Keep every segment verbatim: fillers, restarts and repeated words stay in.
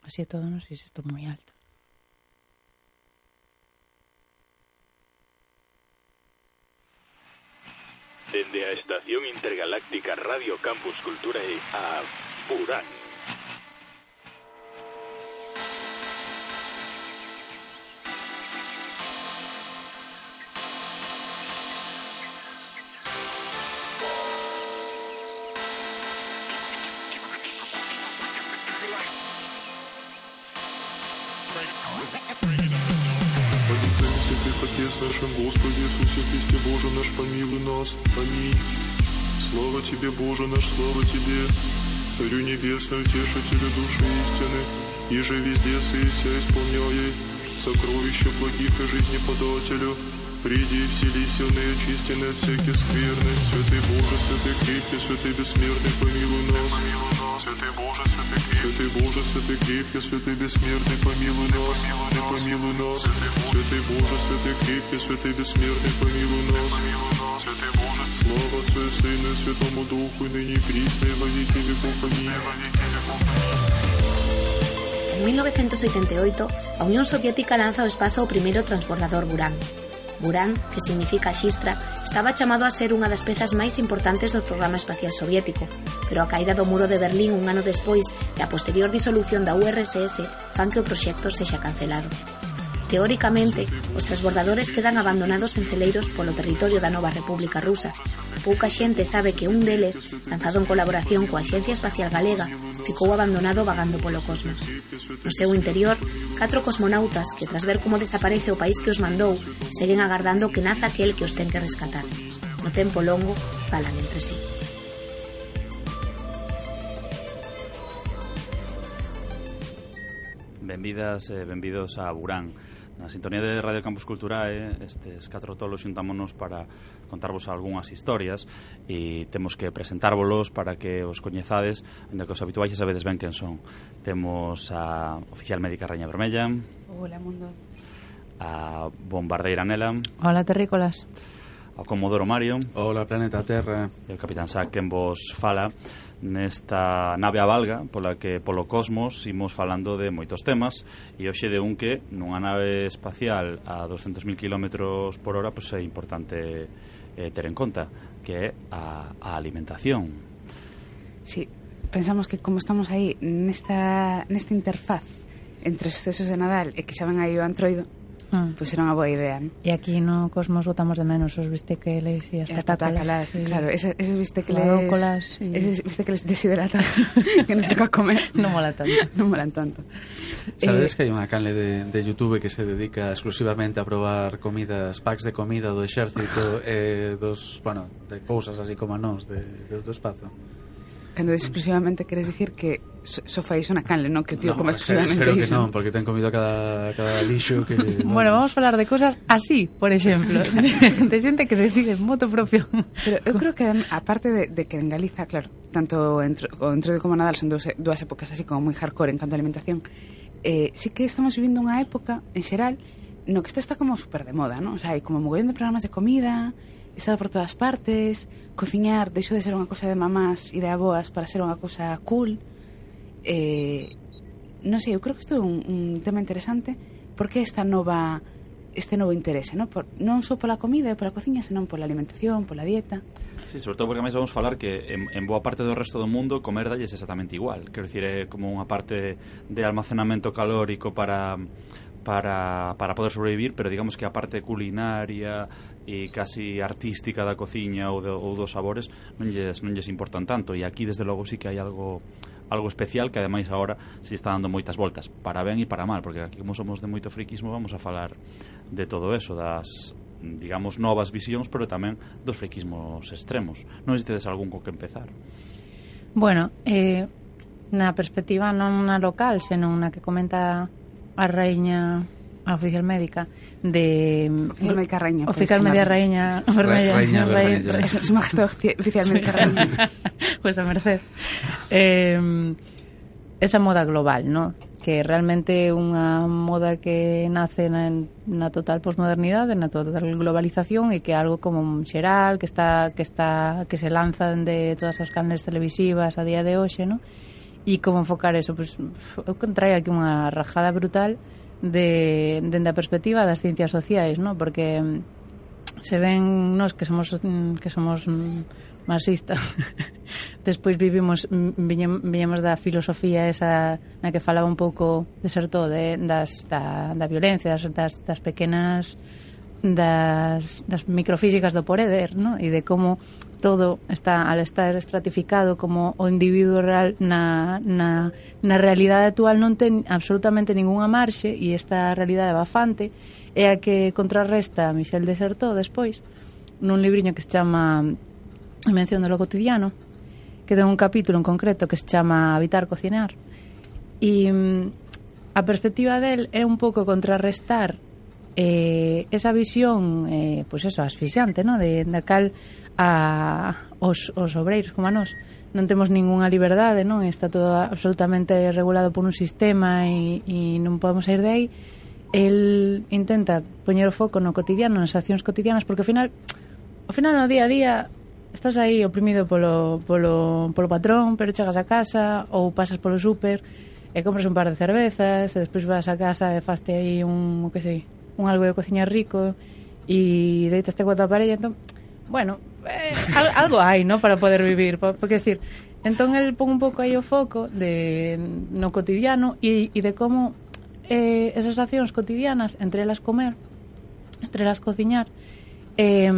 Así todo, non sei se estou moi alto. Dende a Estación Intergaláctica Radio Campus Culturae a Burán. Отец нашим Господи Иисусе Христе, Боже наш, помилуй нас. Аминь. Слава Тебе, Боже наш, слава Тебе, Царю Небесный, Утешителю души истины, иже везде сыся исполняя сокровища благих и жизни подателю. Приди и вселися в неочистенные от всяких скверны. Святый Боже, святый крепкий, святый бессмертный, помилуй нас. Святый Боже, святый крепкий, святый Боже, святый крепкий, святый бессмертный, помилуй нас. Помилуй нас. Святый Боже, святый крепкий, святый бессмертный, помилуй нас. Святый Боже, слава Отцу и Сыну и Святому Духу, и ныне и присно, и во веки веков. Аминь. En mil novecientos oitenta e oito, a Unión Soviética lanza ao espazo o primeiro transbordador Buran. Buran, que significa xistra, estaba chamado a ser unha das pezas máis importantes do programa espacial soviético, pero a caída do muro de Berlín un ano despois e a posterior disolución da U R S S fan que o proxecto sexa cancelado. Teóricamente, os transbordadores quedan abandonados en celeiros polo territorio da nova República Rusa. Pouca xente sabe que un deles, lanzado en colaboración coa Axencia Espacial Galega, ficou abandonado vagando polo cosmos. No seu interior, catro cosmonautas que, tras ver como desaparece o país que os mandou, seguen agardando que naza aquel que os ten que rescatar. No tempo longo, falan entre sí. Benvidas e benvidos a Burán. Na sintonía de Radio Campus Culturae, estes catro tolos xuntámonos para contarvos algunhas historias e temos que presentárvolos para que os coñezades, ainda que os habituais xa sabedes ben quen son. Temos a oficial médica Raña Vermella. Hola, mundo. A bombardeira Nela. Hola, terrícolas. Ao Comodoro Mario. Hola, planeta Terra. E o Capitán Sac, quen vos fala nesta nave a valga pola que polo cosmos imos falando de moitos temas e hoxe de un que nunha nave espacial a doscientos mil kilómetros por hora pois é importante eh, ter en conta, que é a, a alimentación. Sí, pensamos que como estamos aí nesta, nesta interfaz entre os excesos de Nadal e que xa ven aí o antroido, Mm. pois era unha boa idea, ¿no? E aquí no Cosmos botamos de menos os bistequeles e as patácalas, sí. Claro, eses, eses bistequeles y... eses bistequeles deshidratados que nos toca comer non mola tanto non molan tanto. Sabedes eh... que hai unha canle de, de YouTube que se dedica exclusivamente a probar comidas, packs de comida do exército e eh, dos, bueno, de cousas así como a nós de, de, do espazo? Cando exclusivamente queres dicir que so, so fai iso na canle, non que o tío no, come exclusivamente espero iso. que non, porque ten comido cada, cada lixo que... Bueno, vamos a falar de cosas así, por exemplo, de, de xente que decide moto propio. Pero eu creo que, aparte de, de que en Galiza, claro, tanto entro, o Entroido como Nadal son dúas, dúas épocas así como moi hardcore en canto a alimentación, eh, sí que estamos vivindo unha época, en xeral, no que isto está como super de moda, non? O sea, hai como mogollón de programas de comida... Estado por todas partes, cociñar deixou de ser unha cosa de mamás e de aboas para ser unha cosa cool. Eh, non sei, eu creo que isto é un, un tema interesante porque esta nova este novo interese, non? Por, non só pola comida e pola cociña, senón pola alimentación, pola dieta. Sí, sobre todo porque máis vamos falar que en, en boa parte do resto do mundo comer dalles exactamente igual. Quero dicir, é como unha parte de almacenamento calórico para... para, para poder sobrevivir, pero digamos que a parte culinaria e casi artística da cociña ou, de, ou dos sabores non lles, non lles importan tanto, e aquí desde logo sí que hai algo algo especial que ademais agora se está dando moitas voltas, para ben e para mal, porque aquí como somos de moito friquismo vamos a falar de todo eso, das digamos novas visións, pero tamén dos friquismos extremos. Non sei se tedes algún co que empezar. Bueno, eh, na perspectiva non na local, senón na que comenta a raíña, a oficial médica de oficial médica raíña, oficial media raíña vermella, raíña vermella, su majestad oficial médica raíña. Pues a merced. Eh, esa moda global, ¿no? Que realmente é unha moda que nace na, na total posmodernidade, na total globalización e que é algo como xeral, que está que está que se lanza de todas as canles televisivas a día de hoxe, ¿no? E como enfocar eso? Pois, eu traio aquí unha rajada brutal de, dende a perspectiva das ciencias sociais, ¿no? Porque se ven nos que somos que somos marxistas despois vivimos viñemos da filosofía esa na que falaba un pouco de ser todo de, das, da, da violencia das, das, das pequenas das, das microfísicas do poder, ¿no? E de como todo está al estar estratificado, como o individuo real na, na, na realidade actual non ten absolutamente ningunha marxe, e esta realidade bafante é a que contrarresta Michel Desserteau despois nun libriño que se chama Invención de lo cotidiano, que ten un capítulo en concreto que se chama Habitar, cocinar, e a perspectiva del é un pouco contrarrestar eh, esa visión eh, pois eso, asfixiante, ¿no? de, de cal a, os, os obreiros como a nós non temos ningunha liberdade, non? Está todo absolutamente regulado por un sistema e, e non podemos sair de aí. El intenta poñer o foco no cotidiano, nas accións cotidianas, porque ao final ao final no día a día estás aí oprimido polo, polo, polo patrón, pero chegas a casa ou pasas polo súper e compras un par de cervezas e despois vas a casa e faste aí un, que sei, un algo de cociña rico e deitaste coa tua parella, entón, bueno, eh, algo hai, ¿no? Para poder vivir, porque decir, entón el pon un pouco aí o foco de no cotidiano e, e de como eh, esas accións cotidianas, entre elas comer, entre elas cociñar, eh,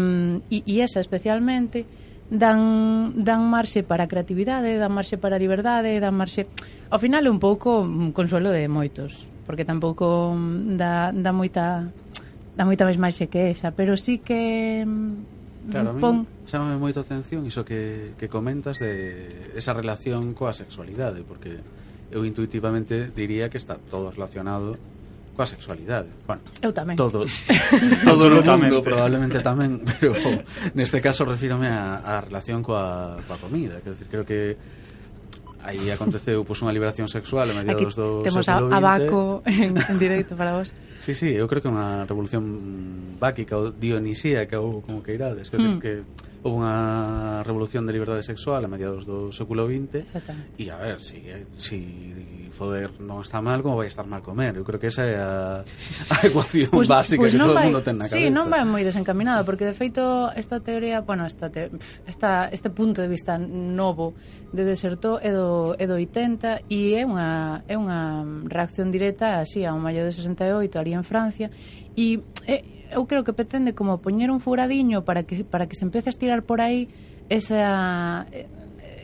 e, e esa especialmente dan, dan marxe para a creatividade, dan marxe para a liberdade, dan marxe, ao final é un pouco un consuelo de moitos, porque tampouco dá, dá moita dá moita máis marxe que esa, pero sí que claro, pon... a mí chámame moito a atención iso que, que comentas de esa relación coa sexualidade, porque eu intuitivamente diría que está todo relacionado coa sexualidade. Bueno, eu tamén. Todo, todo o mundo probablemente tamén, pero neste caso refírome a, a relación coa, coa comida. Quero decir, creo que aí aconteceu pues, unha liberación sexual a mediados do temos século vinte. Temos a Baco en, en directo para vos. Sí, sí, eu creo que é unha revolución báquica ou dionisíaca ou como que irades. Quero hmm. decir que houve unha revolución de liberdade sexual a mediados do século vinte e a ver, si, si foder non está mal, como vai estar mal comer? Eu creo que esa é a, a ecuación pues, básica pues que todo o mundo ten na cabeza. Sí, non vai moi desencaminado, porque de feito esta teoría, bueno, esta, te, esta este punto de vista novo de Desserteau é do, é do oitenta e é unha, é unha reacción directa así a un maio de sesenta e oito ali en Francia e é, eu creo que pretende como poñer un furadiño para que para que se empece a estirar por aí esa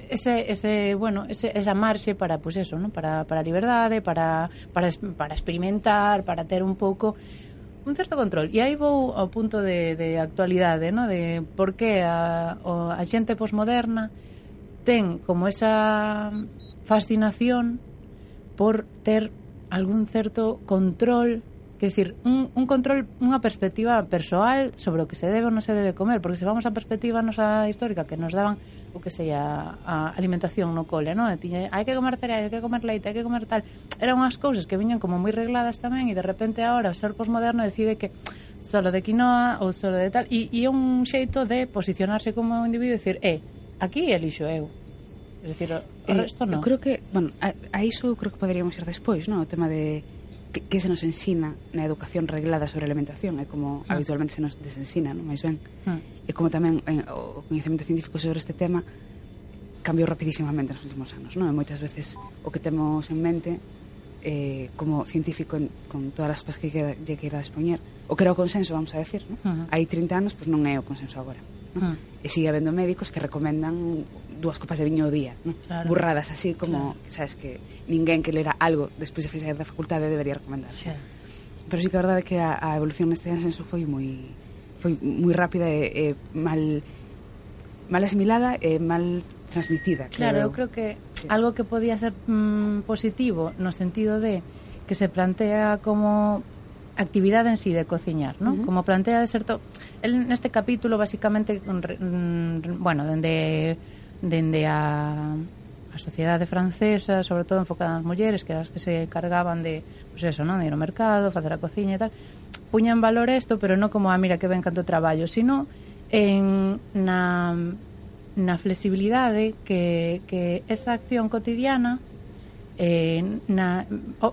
ese ese bueno, ese, esa marxe para pues eso, ¿no? Para para a liberdade, para para para experimentar, para ter un pouco un certo control. E aí vou ao punto de de actualidade, ¿no? De por que a o, a xente posmoderna ten como esa fascinación por ter algún certo control. Quer decir, un, un control, unha perspectiva persoal sobre o que se debe ou non se debe comer, porque se vamos a perspectiva nosa histórica que nos daban o que seja a alimentación no cole, non? Tiña, hai que comer cereal, hai que comer leite, hai que comer tal. Eran unhas cousas que viñan como moi regladas tamén e de repente agora o ser posmoderno decide que solo de quinoa ou solo de tal e, e é un xeito de posicionarse como un individuo e decir, eh, aquí elixo eu. É dicir, o, o eh, resto non. Eu creo que, bueno, a, a iso creo que poderíamos ir despois, non? O tema de que, que se nos ensina na educación reglada sobre alimentación, é como ah. habitualmente se nos desensina, non? Mais ben. Ah. E como tamén eh, o coñecemento científico sobre este tema cambiou rapidísimamente nos últimos anos, non? E moitas veces o que temos en mente eh, como científico en, con todas as pasas que lle queira expoñer, o que era o consenso, vamos a decir, non? Uh-huh. Hai trinta anos, pois pues non é o consenso agora, non? Uh-huh. E sigue habendo médicos que recomendan dúas copas de viño ao día, non? Claro. Burradas así como, claro. Sabes, que ninguén que lera algo despois de sair da facultade debería recomendar. Claro. Pero sí que a verdade é que a, a evolución neste consenso foi moi foi moi rápida e, e mal mal asimilada e mal transmitida. Claro, eu creo que sí. Algo que podía ser mmm, positivo no sentido de que se plantea como actividade en sí de cociñar, ¿no? Uh-huh. Como plantea de certo, el neste capítulo basicamente mm, bueno, dende dende a a sociedade francesa, sobre todo enfocada nas mulleres, que eran as que se cargaban de, pues eso, ¿no? De ir ao mercado, facer a cociña e tal. Puña en valor isto, pero non como, ah, mira que ben canto traballo, sino en na na flexibilidade que, que esta acción cotidiana eh, na,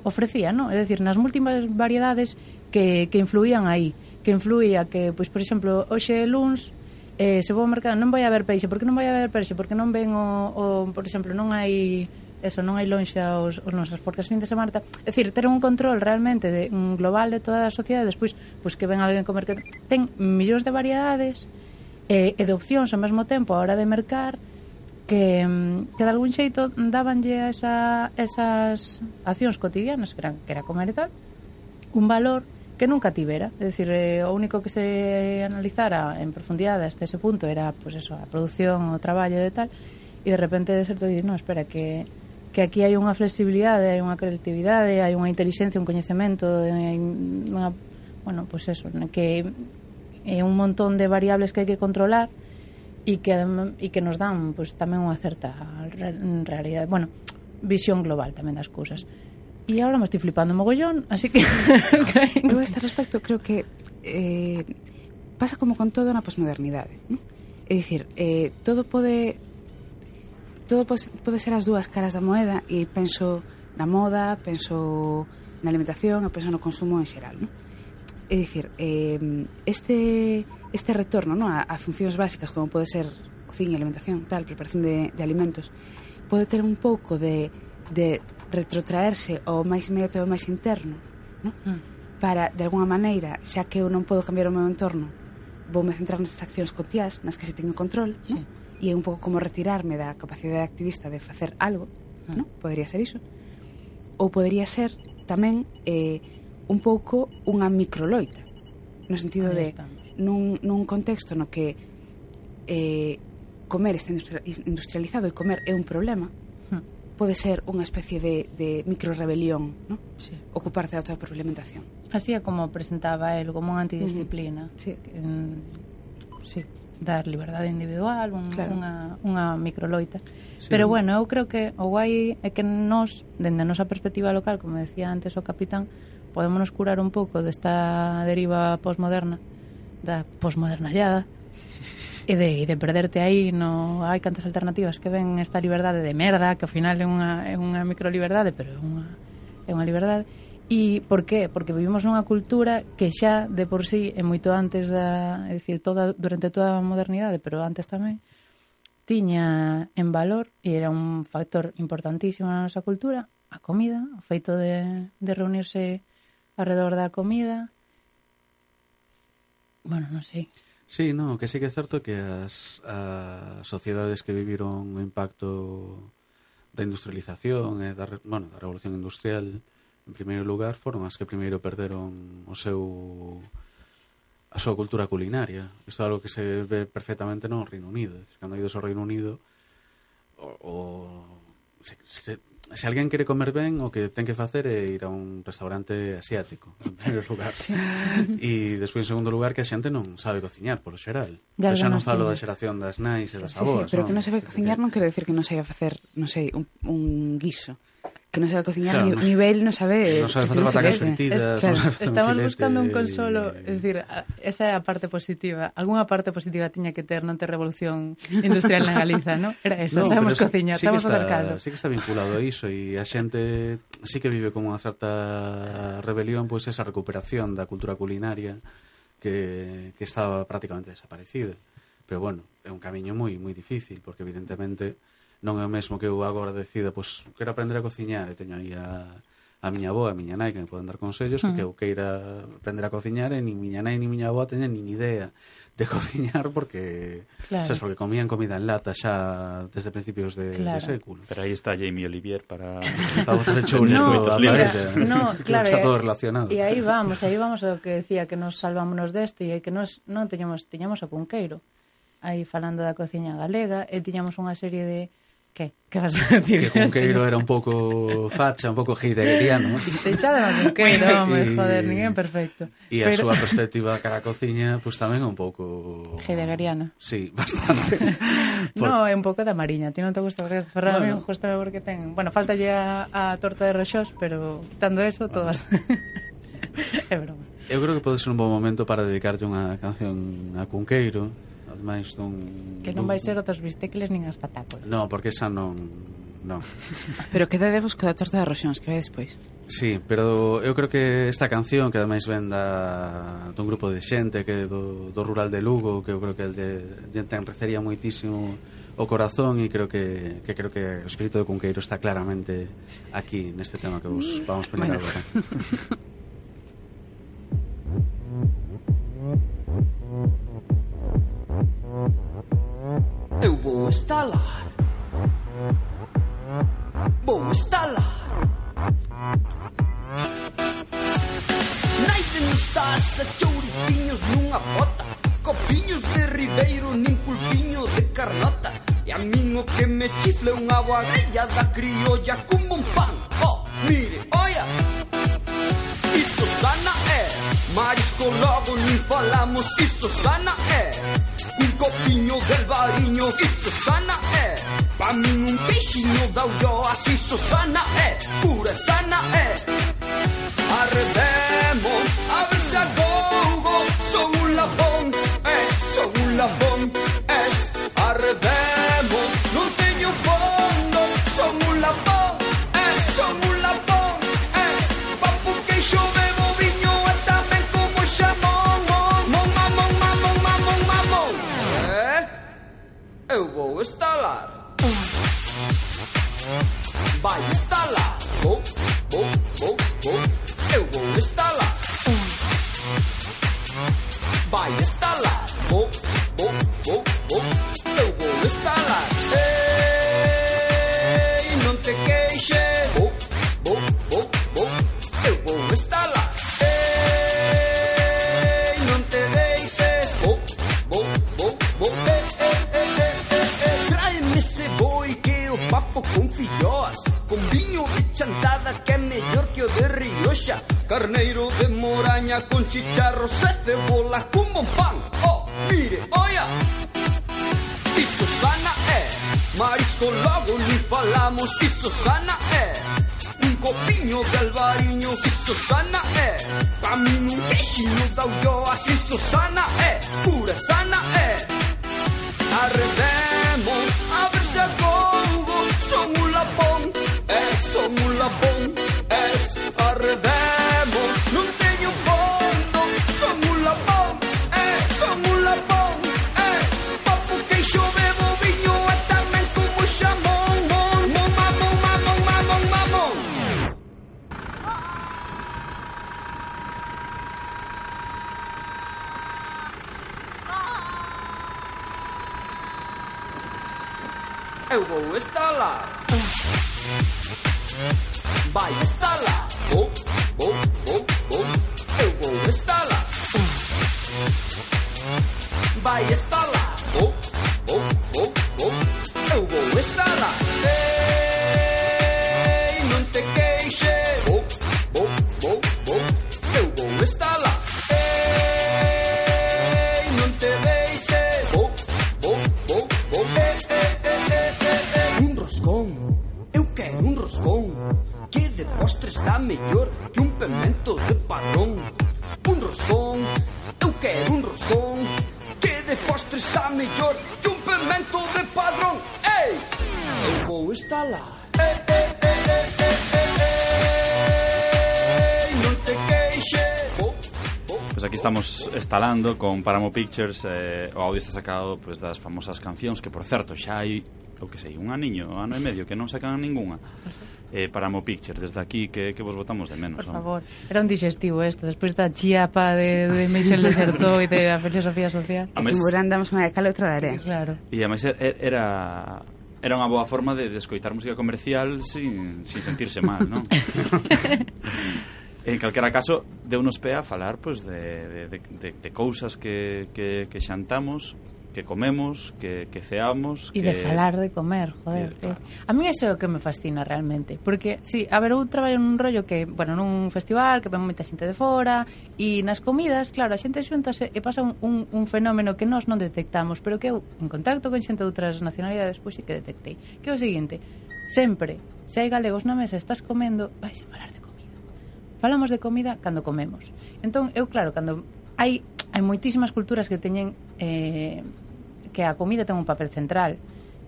ofrecía, ¿no? É dicir, nas múltiples variedades que, que influían aí, que influía que, pois, por exemplo, hoxe luns eh, se vou ao mercado non vai haber peixe, por que non vai haber peixe? Porque non ven o, o por exemplo, non hai eso, non hai lonxa os, os nosas forcas fin de semana, é dicir, ter un control realmente de, un global de toda a sociedade, despois, pois, que ven alguén comer que ten millóns de variedades e, e de opcións ao mesmo tempo a hora de mercar, que, que de algún xeito dabanlle a esa, esas accións cotidianas que era, que era comer e tal un valor que nunca tivera, é dicir, eh, o único que se analizara en profundidade hasta ese punto era pues eso, a produción, o traballo e tal, e de repente de certo dir, no, espera, que, que aquí hai unha flexibilidade, hai unha creatividade, hai unha inteligencia, un coñecemento, hai unha, bueno, pues eso, que é un montón de variables que hai que controlar e que, e que nos dan pues, tamén unha certa realidade, bueno, visión global tamén das cousas. E agora me estoy flipando mogollón, así que... Eu a este respecto creo que eh, pasa como con todo na posmodernidade, ¿no? É dicir, eh, todo pode todo pode, pode ser as dúas caras da moeda, e penso na moda, penso na alimentación e penso no consumo en xeral, ¿no? É dicir, eh, este, este retorno, ¿no? a, a funcións básicas como pode ser cociña, alimentación, tal, preparación de, de alimentos, pode ter un pouco de, de retrotraerse ao máis inmediato e ao máis interno, ¿no? Mm. Para, de alguna maneira, xa que eu non podo cambiar o meu entorno, voume centrar nesas accións cotiás nas que se teño control, sí. ¿No? E é un pouco como retirarme da capacidade activista de facer algo, mm. ¿no? Podería ser iso. Ou podería ser tamén eh, un pouco unha microloita, no sentido de nun, nun contexto no que eh, comer está industrializado e comer é un problema, hmm. pode ser unha especie de, de microrebelión, ¿no? Sí. Ocuparte da autoproblementación. Así é como presentaba el como unha antidisciplina. Uh-huh. Sí. En, sí, dar liberdade individual, un, claro. unha, unha microloita. Sí. Pero bueno, eu creo que o guai é que nós, dende a nosa perspectiva local, como decía antes o capitán, podémonos curar un pouco desta deriva posmoderna, da posmodernallada, e de, de perderte aí, no hai cantas alternativas que ven esta liberdade de merda, que ao final é unha, é unha microliberdade, pero é unha, é unha liberdade. E por qué? Porque vivimos nunha cultura que xa de por sí é moito antes da, é dicir, toda, durante toda a modernidade, pero antes tamén, tiña en valor, e era un factor importantísimo na nosa cultura, a comida, o feito de, de reunirse alrededor da comida. Bueno, non sei. Sí, no, que sí que é certo que as, as sociedades que viviron o impacto da industrialización e da, bueno, da revolución industrial en primeiro lugar foron as que primeiro perderon o seu a súa cultura culinaria. Isto é algo que se ve perfectamente no Reino Unido. É dicir, cando ides ao Reino Unido o, o se, se, se alguén quere comer ben, o que ten que facer é ir a un restaurante asiático, en primeiro lugar. Sí. E despois, en segundo lugar, que a xente non sabe cociñar, polo xeral. Pero xa non falo da xeración das nais e das sí, avós. Sí, pero non? Que non sabe cociñar non quero decir que non saiba facer, non sei, un, un guiso. Que non sabe cociñar, claro, ni, nivel non sabe... Non sabe facer patacas fritidas, es, claro, non sabe facer estamos filete, buscando un consolo, é dicir, esa é a parte positiva. Alguna parte positiva tiña que ter non ter revolución industrial na Galiza, ¿no? Era eso, no, sabemos cociñar, sí sabemos facer caldo. Sí que está vinculado a iso, e a xente sí que vive como unha certa rebelión, pois esa recuperación da cultura culinaria que, que estaba prácticamente desaparecida. Pero bueno, é un camiño moi moi difícil, porque evidentemente non é o mesmo que eu agora decida, pois, quero aprender a cociñar, e teño aí a, a miña avó, a miña nai, que me poden dar consellos, uh-huh. que eu queira aprender a cociñar, e ni miña nai ni miña avó teñen nin idea de cociñar, porque, claro. sabes, porque comían comida en lata xa desde principios de, claro. de século. Pero aí está Jamie Olivier para... para botar el chourizo no, a parece. No, claro. Está todo relacionado. E aí vamos, aí vamos ao que decía, que nos salvámonos deste, e que nos non teñamos, teñamos o Cunqueiro, aí falando da cociña galega, e tiñamos unha serie de... Que? Que vas a decir? Que Cunqueiro era un pouco facha, un pouco heideggeriano. Deixade a Cunqueiro, home, joder, ninguén perfecto. E a Pero... súa perspectiva cara a cociña, pues tamén é un pouco... heideggeriana. Sí, bastante. Por... No, é un pouco da Mariña. Ti non te gusta o resto. Ferrara, bueno. Justo porque ten... Bueno, falta a, a torta de roxós, pero quitando eso, bueno. Todas... é broma. Eu creo que pode ser un bom momento para dedicarte unha canción a Cunqueiro. Ademais dun... Que non vai ser outros bistécles nin as patácolas. No, porque esa non non. Pero quedadevos co da torta de Roxóns, que vai despois. Sí, pero eu creo que esta canción que ademais ven da, dun grupo de xente que do, do rural de Lugo, que eu creo que lle, lle enrecería moitísimo o corazón, e creo que, que creo que o espírito de Cunqueiro está claramente aquí neste tema que vos vamos poñer bueno. agora. Eu vou estalar, vou estalar. Naiden nos taxa, chouriciños nunha bota, copiños de ribeiro nin pulpiño de carnota. E a min o que me chifle unha boa grella da criolla como un pan. Oh, mire, oia, iso sana é, marisco logo nin falamos, iso sana é. Un copiño del bariño, iso sana é. Pa min un peixiño da ulloas, iso sana é, pura sana é. Arredemos, a ver se agogo, son un labón, eh, son un labón, eh. Arredemos, non teño fondo, son un labón, eh, son un labón, eh. Papu queixo bebo viño e tamén como xamón, mon, mamón, mamón, mamón, mamón. Eh, eu vou estalar. Vai estalar, vou, vou, vou, vou. Eu vou estalar. Vai estalar, vou, vou, vou, vou. Eu vou estalar. Ei, non te queixes. Vou, vou, vou, vou. Eu vou estalar. Ei, non te deixes. Vou, vou, vou, vou. Ei, ei, ei, ei, ei, ei. Tráeme ese boi que o papo con filloas, con viño de chantada que é mellor que o de Rioxa, carneiro de moraña con chicharros e cebola con bon pan. Oh, mire, oia, iso sana é, marisco logo nin falamos, iso sana é. Un copiño de albariño, iso sana é. Pa min un queixiño da ulloas, iso sana é, pura sana é. Arredemos, a ver se agogo, son un lapón, eh, son un lapón, eh. Arredemos, non teño fondo, son un lapón, eh, son un lapón, eh. Papu queixo bebo viño e tamén como xamón, mon, mon, mamón, mamón, mamón, mamón. Eu vou estalar. Vai estalar. Vou, vou, vou, vou. Eu vou estalar. Vai estalar. Vou, vou, vou, vou. Eu vou estalar. Ei, non te queixes. Vou, vou, vou, vou. Eu vou estalar. Ei, non te deixes. Vou, vou, vou, vou. Ei, ei, ei, ei, ei, ei. Un roscón. Eu quero un roscón que de postre está mellor que un pemento de padrón. Un roscón, eu quero un roscón que de postre está mellor que un pemento de padrón. Ei, eu vou estalar. Ei, ei, ei, ei, ei, ei, ei, non te queixes. Oh, oh, pues aquí estamos instalando con Paramo Pictures, eh, o audio está sacado pues, das famosas cancións que, por certo, xa hai, o que sei, un aniño, ano e medio que non sacan ningunha. Eh, Paramo Pictures, desde aquí que, que vos votamos de menos. Por favor, era un digestivo esto, despois da chiapa de, de Michel Desertot e de a filosofía social. A mes... damos unha de cal e outra de area. Claro. E ademais era era unha boa forma de, de escoitar música comercial sin, sin sentirse mal, non? En calquera caso, deu-nos pé a falar pues, de, de, de, de, de cousas que, que, que xantamos, que comemos, que, que ceamos... E que... de falar de comer, joder. Que, claro. A mí iso é o que me fascina realmente. Porque, sí, a ver, eu traballo nun rollo que, bueno, nun festival, que ven moita xente de fora, e nas comidas, claro, a xente xuntase e pasa un, un, un fenómeno que nós non detectamos, pero que eu, en contacto con xente de outras nacionalidades, pois sí que detectei. Que é o seguinte, sempre, se hai galegos na mesa, estás comendo, vais a falar de comida. Falamos de comida cando comemos. Entón, eu, claro, cando hai... hai moitísimas culturas que teñen eh, que a comida ten un papel central,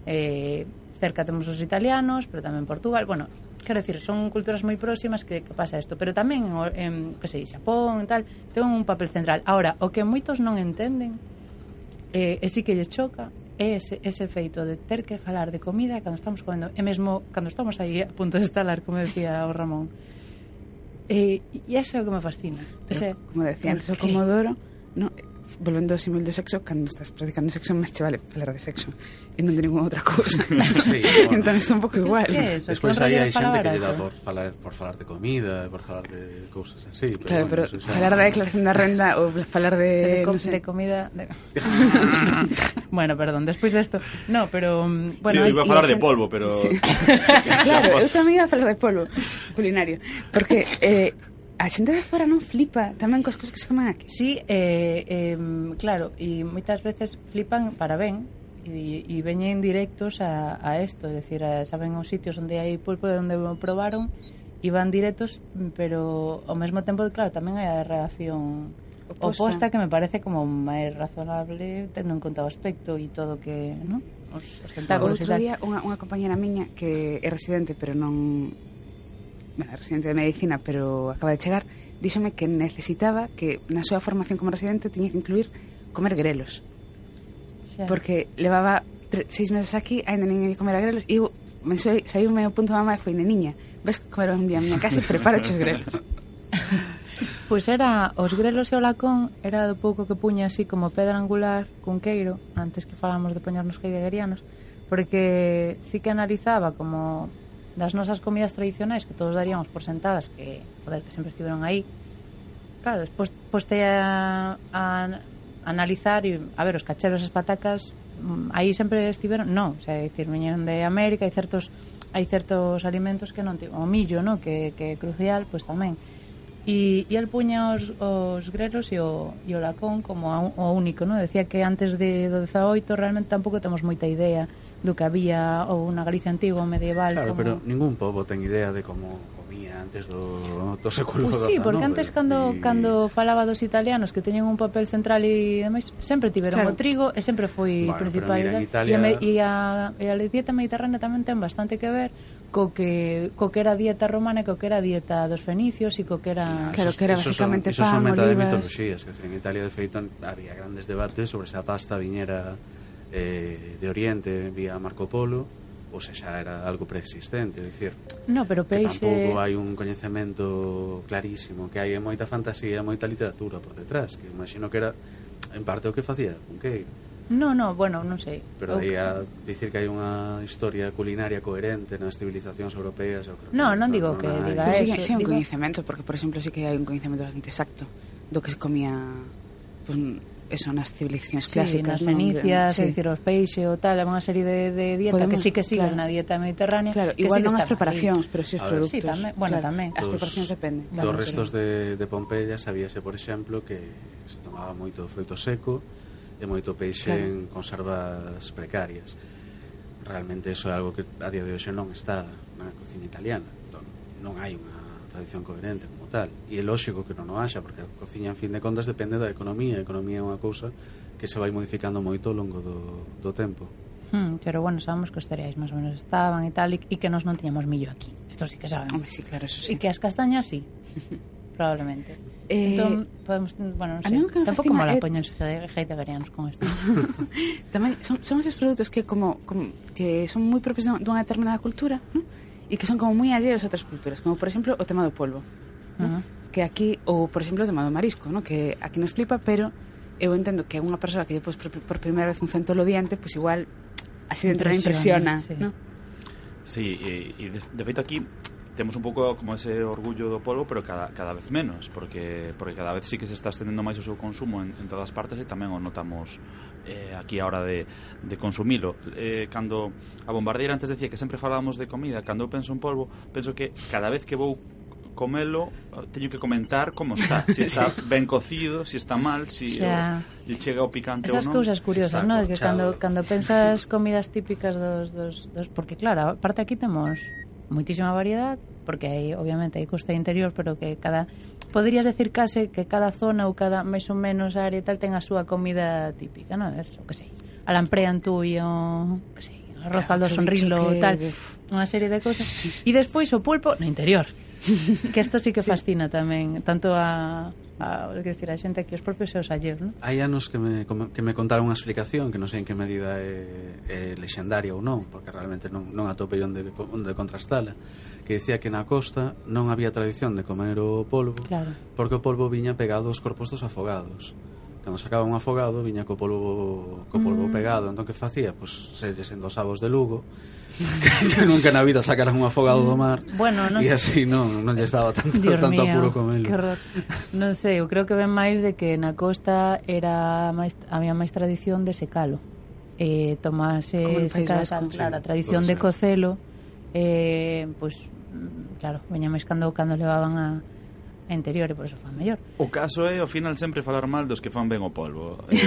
eh, cerca temos os italianos, pero tamén Portugal, bueno, quero dicir, son culturas moi próximas que, que pasa isto, pero tamén en, que sei, Xapón e tal, ten un papel central. Ahora, o que moitos non entenden eh, e si que lles choca é ese, ese feito de ter que falar de comida cando estamos comendo, e mesmo cando estamos aí a punto de estalar, como decía o Ramón. E, e iso é o que me fascina. Ese, como decía antes o Comodoro, no, volvendo ao símil do sexo, cando estás practicando sexo máis che vale falar de sexo e non de ninguna outra cousa. Sí, bueno. Entón está un pouco igual. Despois aí hai xente que lle dá por falar, por falar de comida, por falar de cousas así, pero claro, bueno, pero xa... falar da declaración da renda ou falar de de, com no sé. de comida de... Bueno, perdón, despois desto no, pero bueno, sí, iba a falar de xente... polvo, pero sí. Claro, eu tamén iba a falar de polvo culinario, porque eh, a xente de fora non flipa tamén cos cosas que se comen aquí. Sí, eh, eh, claro, e moitas veces flipan para ben e, e veñen directos a, a esto, é dicir, a, saben os sitios onde hai pulpo e onde o probaron e van directos, pero ao mesmo tempo, claro, tamén hai a reacción oposta, oposta que me parece como máis razonable tendo en conta o aspecto e todo que, ¿no? Os, os tentáculos. Outro día unha, unha compañera miña que é residente, pero non... bueno, residente de medicina, pero acaba de chegar, díxome que necesitaba que na súa formación como residente tiña que incluir comer grelos. Xa. Porque levaba tre, seis meses aquí, ainda nin comer a grelos, e eu me saiu o meu punto mamá e foi, neniña, ves comer un día a miña casa e preparache os grelos. Pois era, os grelos e o lacón era do pouco que puña así como pedra angular cun queiro, antes que falamos de poñernos heideggerianos, porque sí que analizaba como das nosas comidas tradicionais que todos daríamos por sentadas, que, joder, que sempre estiveron aí. Claro, despois poste a, a, a analizar e, a ver, os cacheros e as patacas aí sempre estiveron, non, o sea, dicir, viñeron de América, hai certos hai certos alimentos que non tivo, o millo, no, que, que é crucial, pois tamén. E, e el puña os, os grelos e o, e o lacón como a, o único, no? Decía que antes de, do dezaoito realmente tampouco temos moita idea do que había ou na Galicia antigua ou medieval. Claro, como... pero ningún pobo ten idea de como comía antes do, do século pues dezanove. sí, porque antes cando, y... cando falaba dos italianos que teñen un papel central e demais, sempre tiveron claro. o trigo e sempre foi bueno, principal. Italia... E, a, e, a, e a dieta mediterránea tamén ten bastante que ver co que, co que era a dieta romana e co que era a dieta dos fenicios e co que era... Ah, claro, que era basicamente son, pan, son meta de olivas... mitoloxías, que en Italia de feito había grandes debates sobre se a pasta viñera eh, de Oriente vía Marco Polo ou se xa era algo preexistente, é dicir, no, pero peixe... que tampouco hai un coñecemento clarísimo, que hai moita fantasía, moita literatura por detrás, que imagino que era en parte o que facía Cunqueiro. No, no, bueno, non sei. Pero aí a dicir que hai unha historia culinaria coherente nas civilizacións europeas, eu creo que no, non digo que diga eso, eso. Sí, un digo... coñecemento, porque por exemplo sí que hai un coñecemento bastante exacto do que se comía, pues, eso, nas civilizacións sí, clásicas, nas fenicias, sí. é dicir, os peixes ou tal, é unha serie de, de dieta Podemos, que sí que siguen claro. na dieta mediterránea. Claro, que igual sí non as están preparacións, ahí. pero si sí os A ver, produtos. sí, tamén, bueno, claro, tamén. as Dos- preparacións dependen. Dos Claro, restos de, de Pompeia sabíase, por exemplo, que se tomaba moito froito seco e moito peixe Claro. en conservas precarias. Realmente eso é algo que a día de hoxe non está na cociña italiana. Entón, non hai unha tradición coherente como tal. E é lógico que non o haxa, porque a cociña, en fin de contas, depende da economía. A economía é unha cousa que se vai modificando moito ao longo do, do tempo. Hmm, pero bueno, sabemos que os cereais máis ou menos estaban e tal, e, e que nos non tiñamos millo aquí. Isto sí que sabemos. Hombre, sí, claro, eso sí. E que as castañas sí, probablemente. Eh, entón, podemos, bueno, non a sei, mí o que me tampouco fascina mola é- poñen heideggerianos con isto. Tamén son, son esos produtos que como, como que son moi propios dunha determinada cultura, ¿no? E que son como moi alleos a outras culturas, como por exemplo o tema do polvo, ¿no? Uh-huh. Que aquí, ou por exemplo o tema do marisco, ¿no? Que aquí nos flipa, pero eu entendo que unha persoa que lle pos por, por primeira vez un centolo diante, pois pues igual así dentro Impresiona, impresiona, sí. ¿no? Sí, e, e de, de feito aquí temos un pouco como ese orgullo do polvo, pero cada, cada vez menos, porque porque cada vez sí que se está estendendo máis o seu consumo en, en todas partes, e tamén o notamos eh, aquí a hora de, de consumilo. Eh, cando a bombardeira antes decía que sempre falábamos de comida, cando eu penso en polvo, penso que cada vez que vou comelo, teño que comentar como está, se si está ben cocido, se si está mal, se si lle chega o picante ou non. Esas cousas curiosas, si ¿no? Que cando, corchado. cando pensas comidas típicas dos, dos, dos... Porque claro, aparte aquí temos moitísima variedade, porque hai, obviamente, hai costa interior, pero que cada... Poderías decir case que cada zona ou cada máis ou menos área tal ten a súa comida típica, non? Es, o que sei, a lamprean tú e o... que sei, o arroz caldo sonrilo, que... tal, unha serie de cosas. E despois o pulpo no interior. Que isto sí que fascina sí. tamén, tanto a... a, que decir, a xente aquí, os propios e os alleos, non? Hai anos que me, que me contaron unha explicación que non sei en que medida é, é lexendaria ou non, porque realmente non, non atopei onde, onde contrastala, que decía que na costa non había tradición de comer o polvo, claro. porque o polvo viña pegado aos corpos dos afogados. Cando sacaba un afogado viña co polvo, co polvo mm. pegado. Entón que facía? Pois se lles endosaba os de Lugo que nunca na vida sacaran un afogado do mar, bueno, no e sé. así non, non lles daba tanto, Dios tanto mío, apuro comelo. Non sei, eu creo que ven máis de que na costa era máis, había máis tradición de secalo, eh, tomase seca, claro, a tradición de cocelo, eh, pois pues, claro, veña máis cando, cando levaban a interior e por eso fan mellor. O caso é ao final sempre falar mal dos que fan ben o polvo. Eh...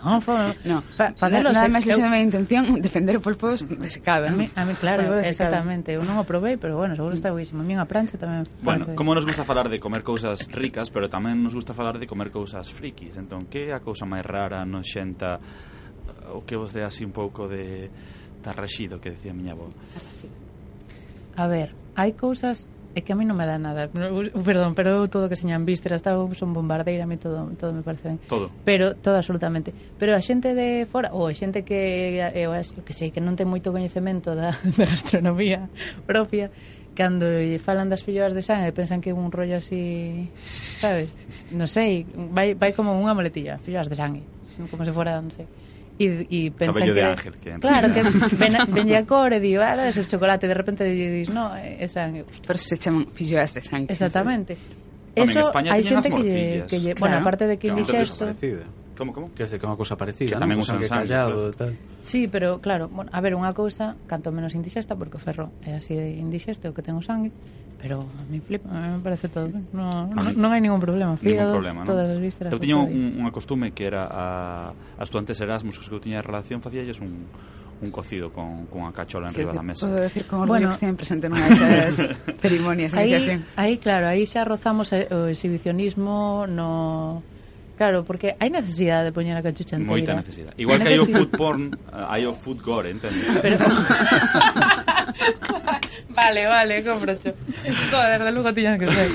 no, fa, no, fa, fa nada, nada máis lexo de minha intención defender o polvo desecado. A mí, a mí claro, exactamente. Eu non o probei, pero bueno, seguro está buísimo. A mí unha plancha tamén. Bueno, como nos gusta falar de comer cousas ricas, pero tamén nos gusta falar de comer cousas frikis. Entón, que é a cousa máis rara, noxenta, o que vos dé así un pouco de tarraxido, que decía a miña avó? A ver, hai cousas é que a mí non me dá nada, perdón, pero todo que señan vísceras, son bombardeira, a mí todo, todo me parece ben. Todo. Pero, todo absolutamente. Pero a xente de fora, ou a xente que, eu, que sei, que non ten moito coñecemento da, da gastronomía propia, cando falan das filloas de sangue pensan que é un rollo así, sabes? Non sei, vai, vai como unha moletilla, filloas de sangue, como se fora, non sei. E, e pensan cabello que, de ángel que claro, que ven, ven a cor e di, ah, debes el chocolate, de repente dis, no, é sangue. Pero se chaman filloas de sangue. Exactamente. Eso, en España hai xente que lle, que lle, claro. Bueno, aparte de que indixesto. Como, como? Quer dizer, que é unha cousa parecida, que tamén usan sangue, callado, claro. Tal. Sí, pero claro, bueno, a ver, unha cousa, canto menos indixesta, porque o ferro é así de indixesto, que ten o sangue, pero a mí flipa, a mí me parece todo ben. No, no, non hai ningún problema. Fígado, ningún problema, todas ¿no? as vísceras. Eu tiña un, unha costume que era a, a estudantes Erasmus que eu tiña relación, facíalles un un cocido con, con unha cachola en sí, riba da mesa. Podo decir con orgullo bueno, que estiven presente nunha desas cerimonias de iniciación. Aí, claro, aí xa rozamos o exhibicionismo no... Claro, porque hai necesidade de poñer a cachucha inteira. Moita necesidade. Igual que hai o food porn, hai o food gore, entendes? Pero... vale, vale, compracho. Joder, de luego tiñan que ser.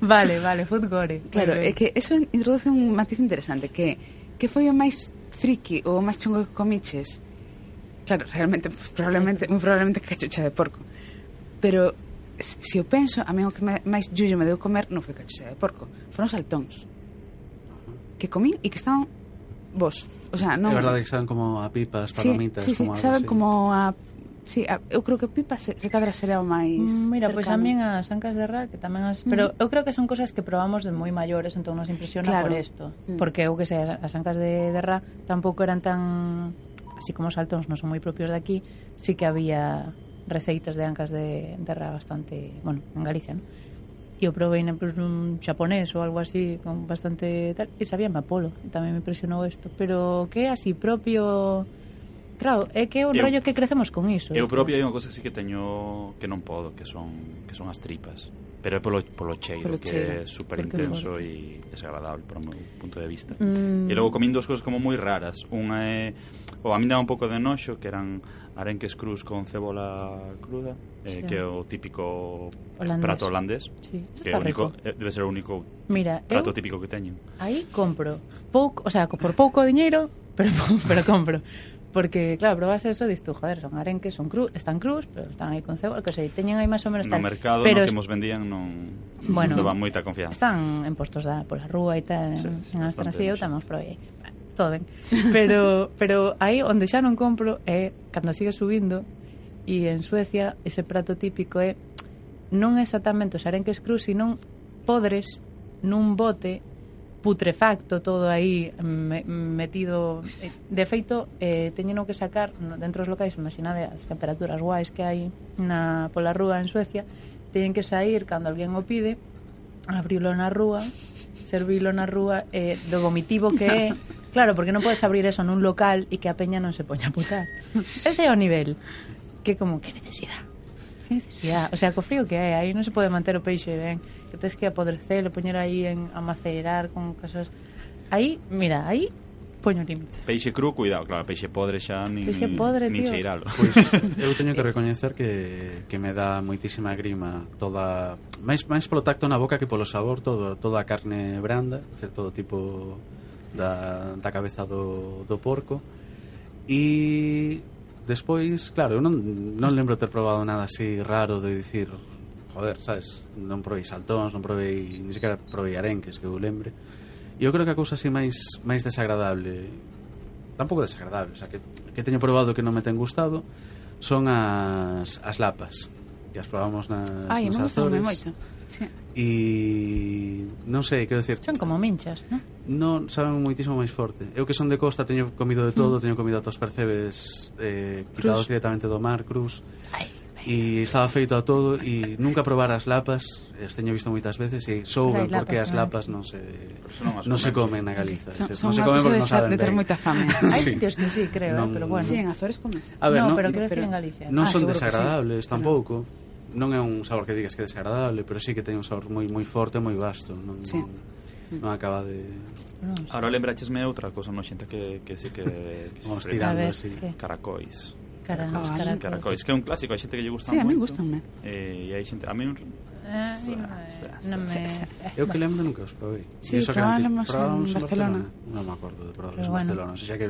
Vale, vale, food gore. Claro, é que eso introduce un matiz interesante, que que foi o máis friki ou o máis chungo que comiches. Claro, realmente, probablemente, muy probablemente cachucha de porco. Pero se eu penso, a mí o que me, máis llullo me deu comer non foi cachucha de porco, foron saltóns que comín e que estaban bos. O sea, non... É verdade que saben como a pipas, palomitas, sí, sí, como sí, saben así. Como a... Sí, a, eu creo que pipas se, se cadra será o máis Mira, pois pues cercano. a min as ancas de ra que tamén as... Pero mm. eu creo que son cosas que probamos de moi maiores, entón nos impresiona claro. Por isto mm. Porque eu que sei, as ancas de, de ra tampouco eran tan... Así como os saltóns non son moi propios de aquí, sí que había receitas de ancas de, de ra bastante... Bueno, en Galicia, non? E eu probei pues, un xaponés ou algo así con bastante tal, e sabíame a polo, e tamén me impresionou isto. Pero que é así propio... Claro, é que é un eu, rollo que crecemos con iso. Eu propio hai unha cosa que sí que teño que non podo, que son que son as tripas, pero é polo, polo cheiro, polo que cheiro, é super intenso e desagradable por o meu punto de vista. Mm. E logo comín dúas cosas como moi raras. Unha é, ou a mí daba un pouco de noxo, que eran arenques crus con cebola cruda, eh, sí. Que é o típico holandés. Prato holandés, sí. Que é único, debe ser o único Mira, prato típico que teño. Aí compro pouco, o sea, por pouco diñeiro, pero pero compro. Porque, claro, probas eso, dis tú, joder, son arenques, son cru, están crus, pero están aí con cebola, que sei, teñen aí máis ou menos tal. No mercado, pero no que mos vendían, non bueno, non daban moita confianza. Están en postos da, pola rúa e tal, sí, sí, en Astras e eu tamén os probei. Todo ben. Pero, pero aí onde xa non compro é cando sigue subindo, e en Suecia ese prato típico é non exactamente os arenques crus, sino podres nun bote putrefacto, todo aí me, metido. De feito, eh, teñeno que sacar dentro dos locais, imaginade as temperaturas guais que hai na pola rúa en Suecia, teñen que sair cando alguén o pide, abrilo na rúa, servilo na rúa, eh, do vomitivo que é. Claro, porque non podes abrir eso nun local e que a peña non se poña a putar. Ese é o nivel. Que como, que necesidade? Que necesidade? O sea, co frío que hai, aí non se pode manter o peixe ben, que tens que apodrecer, poñer aí en, a macerar con casas. Aí, mira, aí poño límite. Peixe cru, cuidado, claro, peixe podre xa nin, peixe podre, nin tío. cheiralo. Pois eu teño que recoñecer que, que me dá moitísima grima toda, máis, máis polo tacto na boca que polo sabor, todo, toda a carne branda, ser todo tipo da, da cabeza do, do porco. E despois, claro, eu non, non lembro ter probado nada así raro de dicir, joder, sabes, non provei saltóns, non provei, ni sequera provei arenques que eu lembre. E eu creo que a cousa así máis máis desagradable, tampouco desagradable, o sea, que, que teño probado que non me ten gustado, son as, as lapas, que as probamos nas, Ai, nas me gustan Azores. moito. Sí. E non sei, quero decir, Son como minchas, non? non saben moitísimo máis forte. Eu que son de costa teño comido de todo, mm. teño comido atos percebes eh, quitados directamente do mar, cruz. Ai, E estaba feito a todo e nunca probar as lapas, as teño visto moitas veces e souben porque as lapas non se non, non se comen na Galiza. Son, Dices, son non se unha comen cousa porque de, non saben de ter ben. moita fame. hai Sí. sitios que sí, creo, Non- eh, pero bueno. Sí, en Azores comes. A ver, no, non, pero quero pero- decir en Galicia. non Ah, son seguro que sí. desagradables tampouco. Non é un sabor que digas que é desagradable, pero sí que ten un sabor moi moi forte, moi vasto. Non, Sí. non acaba de... Non sei. Ahora lembrachesme outra cosa noxenta que, que sí que, que se Vamos expresa. tirando A ver, así. que? Caracois. Cara, Ah, os vale. caracois. Caracois, que é un clásico, hai xente que lle gusta Sí, a moito. mí gústanme. Eh, e hai xente, a mí non- Eh, non me... Sí, sí. Eu que lembro nunca os probei. Sí, E iso que probábamos anti- probábamos en Barcelona. Non me acordo de probarlos Pero en bueno. Barcelona. O sea que,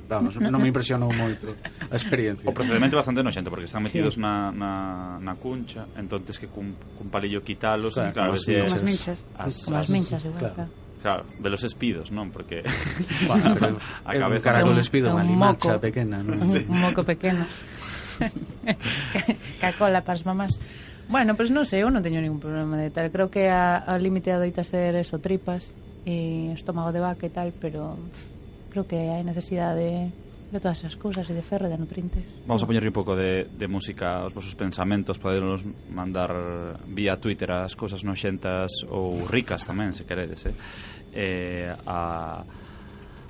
vamos, non me impresionou moito a experiencia. O procedimento é bastante noxento porque están metidos Sí. na, na, na cuncha, entonces que cun, cun palillo quitalos, Claro, e claro, como ves que- Como as minchas. as, Como as minchas, igual, claro. claro. Claro, de los espidos, non? Porque Bueno, pero a é un cabeza caracol un- espido, un unha moco. limacha pequena, non? Un, un moco pequeno. Cacola para as mamás. Bueno, pois pues non sei, eu non teño ningún problema de tal. Creo que a, a límite adoita ser eso, tripas e estómago de vaca e tal, pero pff, creo que hai necesidade de, de todas esas cousas e de ferro e de nutrientes. vamos a poñerle un pouco de, de música aos vosos pensamentos, poderos mandar vía Twitter as cousas noxentas ou ricas tamén, se queredes, eh? Eh, a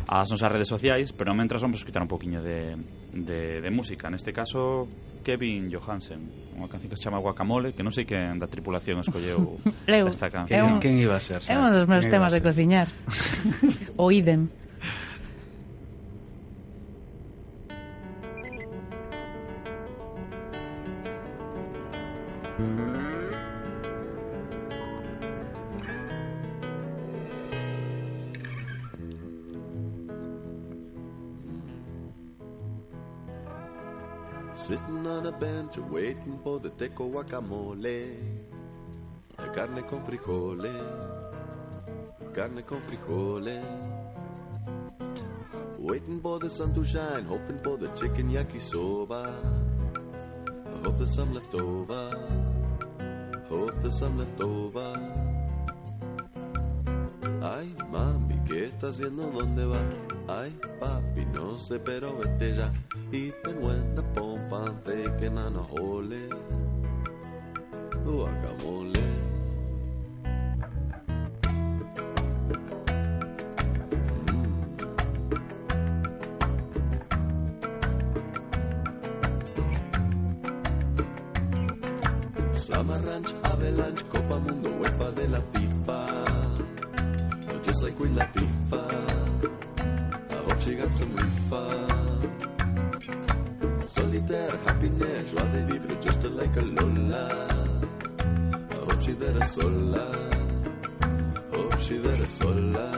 ás nosas redes sociais, pero mentras vamos a escutar un poquinho de, de, de música. Neste caso, Kevin Johansen, unha canción que se chama Guacamole, que non sei quen da tripulación escolleu Eu, esta é canción. un- Quen iba a ser? É un dos meus temas de cociñar. O idem. Sitting on a bench waiting for the teco guacamole. Carne con frijole, carne con frijole. Waiting for the sun to shine, hoping for the chicken yakisoba. I hope there's some left over, hope there's some left over. Ay, mami, ¿qué está haciendo? ¿Dónde va? Ay, papi, no sé, pero vete ya. Eating when the pompa and taking on a hole. Guacamole. Summer Ranch, Avalanche, Copa Mundo, UEFA de la FIFA. Just like Queen Latifah, I hope she got some refund. Solitaire, happiness, joie de vivre, just like a Lola. I hope she there sola, hope she there sola.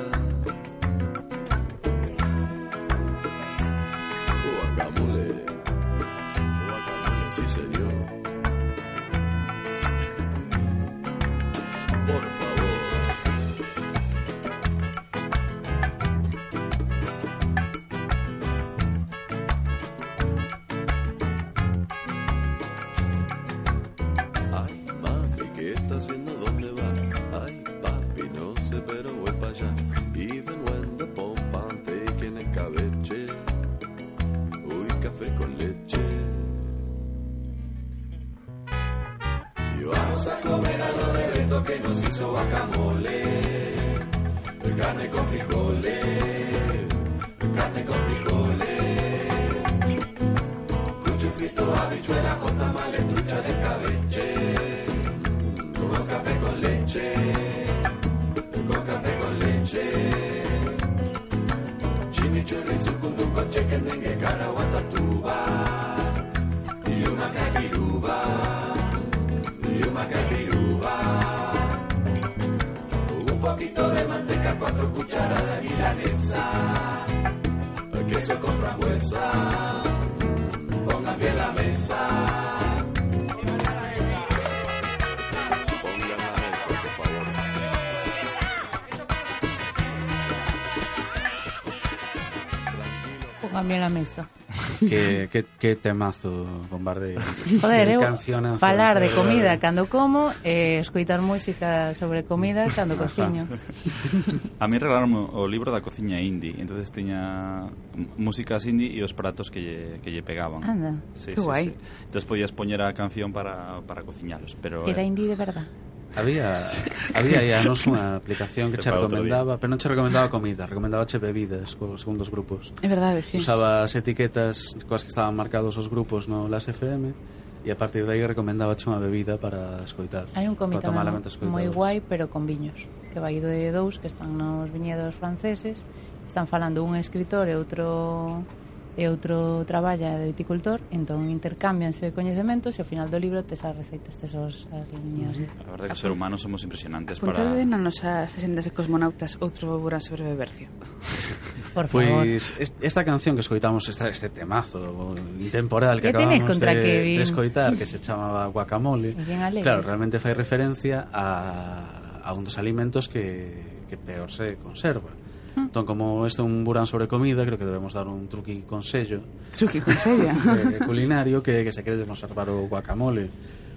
Guacamole, guacamole, sí señor. Por favor. Ay, mami, ¿qué está haciendo? ¿Dónde va? Ay, papi, no sé, pero voy para allá. Even when the pompa I'm taking el cabeche. Uy, café con leche. Y vamos a comer algo de Beto que nos hizo guacamole. Carne con frijoles, carne con frijoles. Cucho frito, habichuela, jota, males, trucha de cabeche. Mm, con café con leche, con café con leche. Chimichurri chequendengue, caraguatatuba, y una capiruba, y una capiruba. Un poquito de manteca, cuatro cucharadas de milanesa, queso con frambuesa, pongan bien la mesa. Pongan la mesa. que, que, que temazo, Bombardeo. Joder, eu falar de comida cando como e eh, escoitar música sobre comida cando cociño. A mí regalaron o libro da cociña indie, entonces tiña músicas indie e os pratos que lle, que lle pegaban. Anda, sí, que sí, guai. Sí. Entonces podías poñer a canción para, para cociñalos. Pero, Era eh, indie de verdad. Había sí. había aí anos unha aplicación que che recomendaba, pero non che recomendaba comida, recomendaba che bebidas co, según os grupos. É verdade, sí. Usaba as etiquetas coas que estaban marcados os grupos no Las F M e a partir de aí recomendaba che unha bebida para escoitar. Hai un comité moi guai, pero con viños, que vai de dous que están nos viñedos franceses, están falando un escritor e outro e outro traballa de viticultor, entón intercámbianse coñecementos e ao final do libro tes as receitas, tes os, as liñas. A verdade que os seres humanos somos impresionantes. Apuntade para... ben nas nosas asendas de cosmonautas outro Burán sobre Bebercio. Por favor. Pois pues, esta canción que escoitamos, esta, este temazo intemporal que acabamos de, de escoitar, que se chamaba Guacamole, claro, realmente fai referencia a, a un dos alimentos que, que peor se conserva. Entón, como este é un burán sobre comida, creo que debemos dar un truqui consello truqui consello eh, culinario que, que se quere conservar o guacamole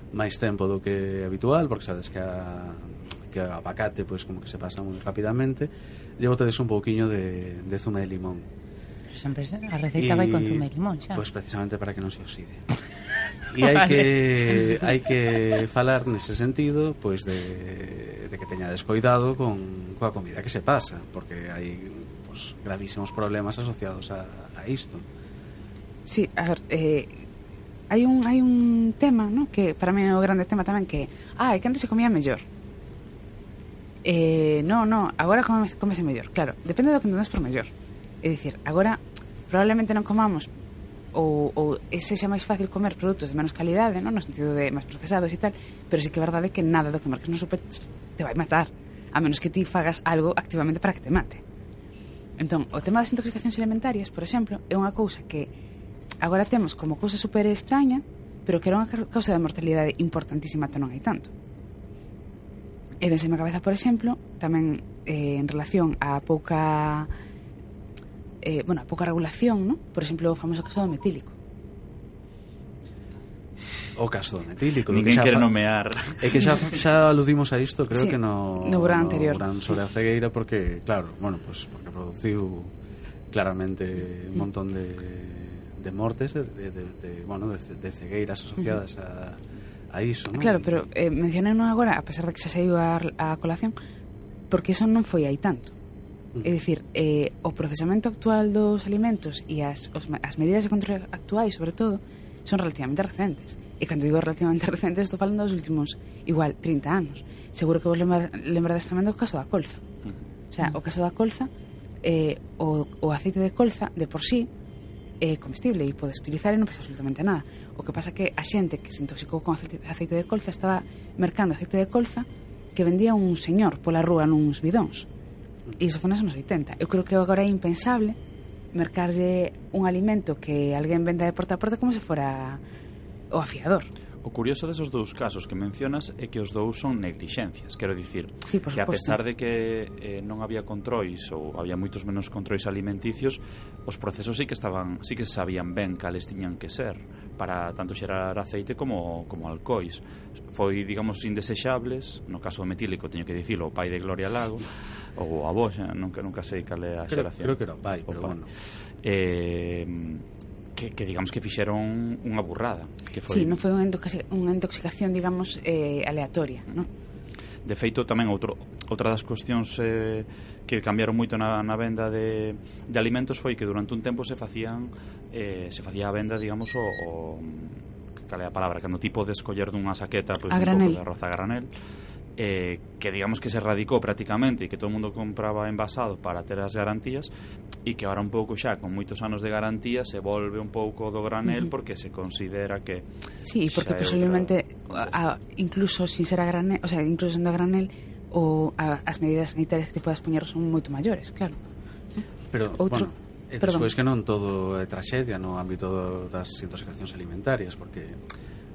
máis tempo do que habitual, porque sabes que a, que a abacate pois, como que se pasa moi rapidamente. Llevo tedes un pouquiño de, de zume de limón. Pero sempre a receita y, vai con zume de limón xa. Pois precisamente para que non se oxide. E hai vale. que hai que falar nese sentido pois de, de que teña descoidado con coa comida que se pasa, porque hai pois, gravísimos problemas asociados a, a isto. Sí, a ver, eh, hai un hai un tema, ¿no? Que para mí é o grande tema tamén, que ah, é que antes se comía mellor. Eh, no, no, agora come, comese mellor. Claro, depende do que entendes por mellor. É dicir, agora probablemente non comamos ou, ou ese xa máis fácil comer produtos de menos calidade, non? No sentido de máis procesados e tal, pero sí que é verdade que nada do que marques no super te vai matar, a menos que ti fagas algo activamente para que te mate. Entón, o tema das intoxicacións alimentarias, por exemplo, é unha cousa que agora temos como cousa super extraña, pero que era unha causa de mortalidade importantísima ata non hai tanto. E vense a cabeza, por exemplo, tamén eh, en relación á pouca eh, bueno, a pouca regulación, ¿no? Por exemplo, o famoso caso do metílico. O caso do metílico. Ninguén quere nomear. É que xa, xa aludimos a isto, creo sí, que no, no Burán anterior. No Burán sobre a cegueira, porque, claro, bueno, pues, porque produciu claramente un montón de, de mortes, de, de, de, de, bueno, de, de cegueiras asociadas a, a iso, ¿no? Claro, pero eh, mencionei non agora, a pesar de que xa saiu a, a colación, porque eso non foi aí tanto. É dicir, eh, o procesamento actual dos alimentos e as, os, as medidas de control actuais, sobre todo, son relativamente recentes. E cando digo relativamente recentes, estou falando dos últimos, igual, trinta anos. Seguro que vos lembra, lembrades tamén do caso da colza. O sea, o caso da colza, eh, o, o aceite de colza, de por sí, é comestible e podes utilizar e non pasa absolutamente nada. O que pasa que a xente que se intoxicou con aceite, aceite de colza estaba mercando aceite de colza que vendía un señor pola rúa nuns bidóns. E iso foi nos anos oitenta. Eu creo que agora é impensable mercarlle un alimento que alguén venda de porta a porta como se fora o afiador. O curioso desos dous casos que mencionas é que os dous son neglixencias, quero dicir, sí, que a pesar de que eh, non había controis ou había moitos menos controis alimenticios, os procesos sí que estaban, sí que se sabían ben cales tiñan que ser para tanto xerar aceite como, como alcoís. Foi, digamos, indesexables, no caso do metílico teño que dicilo, o pai de Gloria Lago ou a avó, xa, nunca, nunca sei cal é a xeración. Creo que era o pai, pero o pai. Bueno. Eh, que, que digamos que fixeron unha burrada, que foi... Sí, non foi unha intoxicación, digamos, eh, aleatoria, non? De feito, tamén outro, outra das cuestións eh, que cambiaron moito na, na venda de, de alimentos foi que durante un tempo se facían eh, se facía a venda, digamos, o, o cal é a palabra, cando tipo de escoller dunha saqueta, pois, un pouco de arroz a granel, eh, que digamos que se erradicou prácticamente e que todo o mundo compraba envasado para ter as garantías, e que ahora un pouco xa con moitos anos de garantía se volve un pouco do granel, uh-huh. porque se considera que sí, porque posiblemente outra... a, incluso sin ser a granel, o sea, incluso sendo a granel o a, as medidas sanitarias que te podes poñer son moito maiores, claro. Pero, outro bueno, e despois que non todo é traxedia no ámbito das intoxicacións alimentarias, porque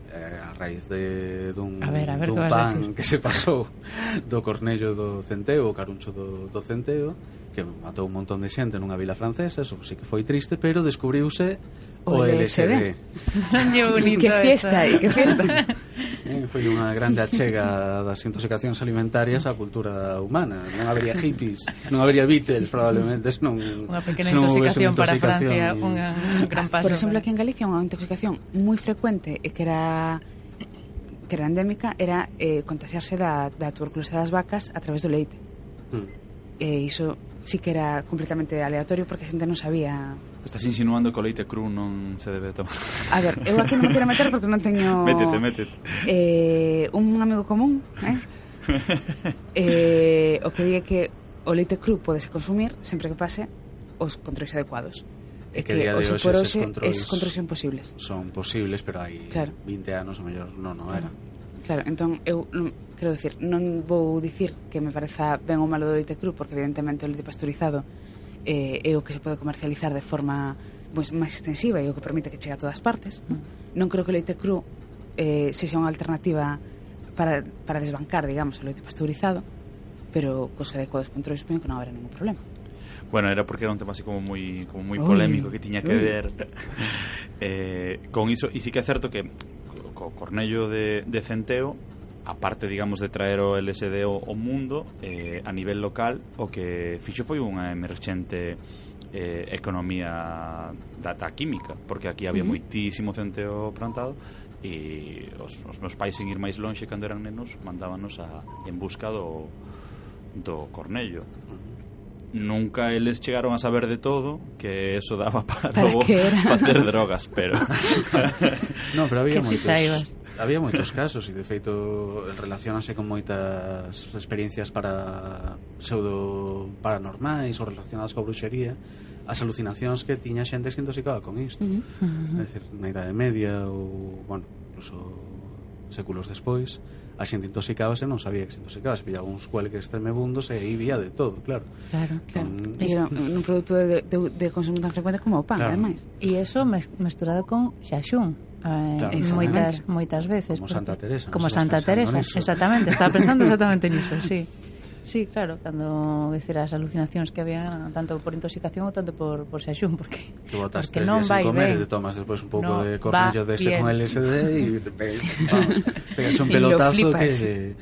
eh, a raíz de dun, a ver, a ver, dun pan que se pasou do cornello do centeo, o caruncho do, do centeo, que matou un montón de xente nunha vila francesa, eso sí que foi triste, pero descubriuse o, o L S D. Que bonito. Que fiesta, e que fiesta. Eh, foi unha grande achega das intoxicacións alimentarias á cultura humana. Non habería hippies, non habería Beatles probablemente, senón unha pequena intoxicación, para Francia, unha, un gran paso. Por exemplo, aquí en Galicia unha intoxicación moi frecuente e que era que era endémica era eh, contagiarse da, da tuberculose das vacas a través do leite. Mm. E iso sí que era completamente aleatorio porque a xente non sabía. Estás insinuando que o leite cru non se debe tomar. A ver, eu aquí non me quero meter porque non teño... Métete, métete. Eh, un amigo común, eh? eh, o que diga que o leite cru podese consumir sempre que pase os controis adecuados. E que, que día de hoxe eses controis, eses controis son posibles. Son posibles, pero hai claro. vinte anos o mellor non o eran. Claro, entón eu non, quero dicir, non vou dicir que me pareza ben ou malo do leite cru, porque evidentemente o leite pasteurizado eh, é o que se pode comercializar de forma pues, máis extensiva e o que permite que chegue a todas partes. Mm. Non creo que o leite cru eh, sexa unha alternativa para, para desbancar, digamos, o leite pasteurizado, pero cos adecuados controles supoño que non haberá ningún problema. Bueno, era porque era un tema así como moi como moi polémico que tiña que ver eh, con iso, e sí que é certo que co cornello de, de centeo, aparte, digamos, de traer o L S D ao, ao mundo, eh, a nivel local, o que fixo foi unha emerxente eh, economía da, da química, porque aquí había uh-huh. moitísimo centeo plantado, e os, os meus pais, sin ir máis lonxe cando eran nenos, mandábanos a, en busca do, do cornello. Nunca eles chegaron a saber de todo, que eso daba para, para logo facer drogas, pero no, pero había moitos había moitos casos e de feito relacionanse con moitas experiencias para pseudo paranormais ou relacionadas coa bruxería, as alucinacións que tiña xente que se intoxicaba con isto. Uh-huh. Uh-huh. É dicir, na Idade Media ou, bueno, incluso séculos despois, a xente intoxicábase, non sabía que se intoxicaba, se pillaba uns cuelques tremebundos e aí vía de todo, claro. Claro, claro. Um, e era un produto de, de, de consumo tan frecuente como o pan, claro. Ademais. E iso mesturado con xaxún. Eh, claro, moitas, moitas veces. Como Santa Teresa. Como Santa Teresa, exactamente. Estaba pensando exactamente niso, sí. Sí, claro, cando decir as alucinacións que había tanto por intoxicación ou tanto por, por xaxún, porque, que botas tres días sin comer e te tomas despois un pouco no de cornello deste de con L S D e te pe, vamos, pegas un pelotazo que...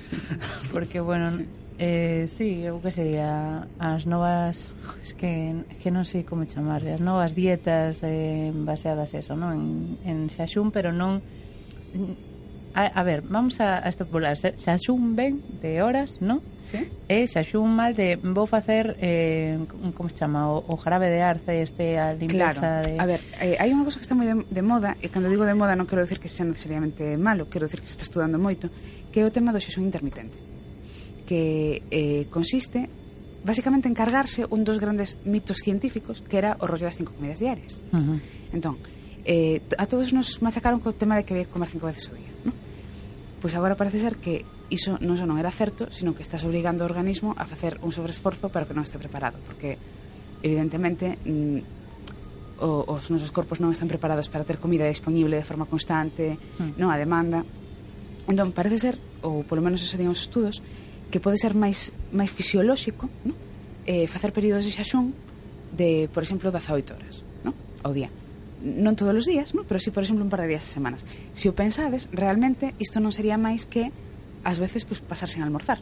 Porque, bueno, sí. Eh, sí, eu que sería as novas, es que, que non sei como chamar, as novas dietas eh, baseadas eso, non? En, en xaxún, pero non... A, a ver, vamos a, a extrapolar. Xaxún ben de horas, non? Sí. E xaxún mal de vou facer eh, como se chama o, o jarabe de arce, este a limpeza. Claro. De... A ver, eh, hai unha cosa que está moi de, de moda, e cando digo de moda non quero decir que sea necesariamente malo, quero decir que se está estudando moito, que é o tema do xaxún intermitente, que eh, consiste basicamente en cargarse un dos grandes mitos científicos, que era o rollo das cinco comidas diarias. Uh-huh. Entón, eh, a todos nos machacaron co tema de que había que comer cinco veces ao día, non? Pois agora parece ser que iso non só non era certo, sino que estás obrigando o organismo a facer un sobreesforzo para que non este preparado, porque evidentemente mm, o, os nosos corpos non están preparados para ter comida disponible de forma constante, mm. non a demanda. Entón parece ser, ou polo menos eso digan os estudos, que pode ser máis máis fisiolóxico, non? Eh, facer períodos de xaxún de, por exemplo, dezaoito horas, non? Ao día. Non todos os días, ¿no? Pero sí, por exemplo, un par de días a semanas. Se o pensades, realmente isto non sería máis que ás veces pues, pasar sen almorzar,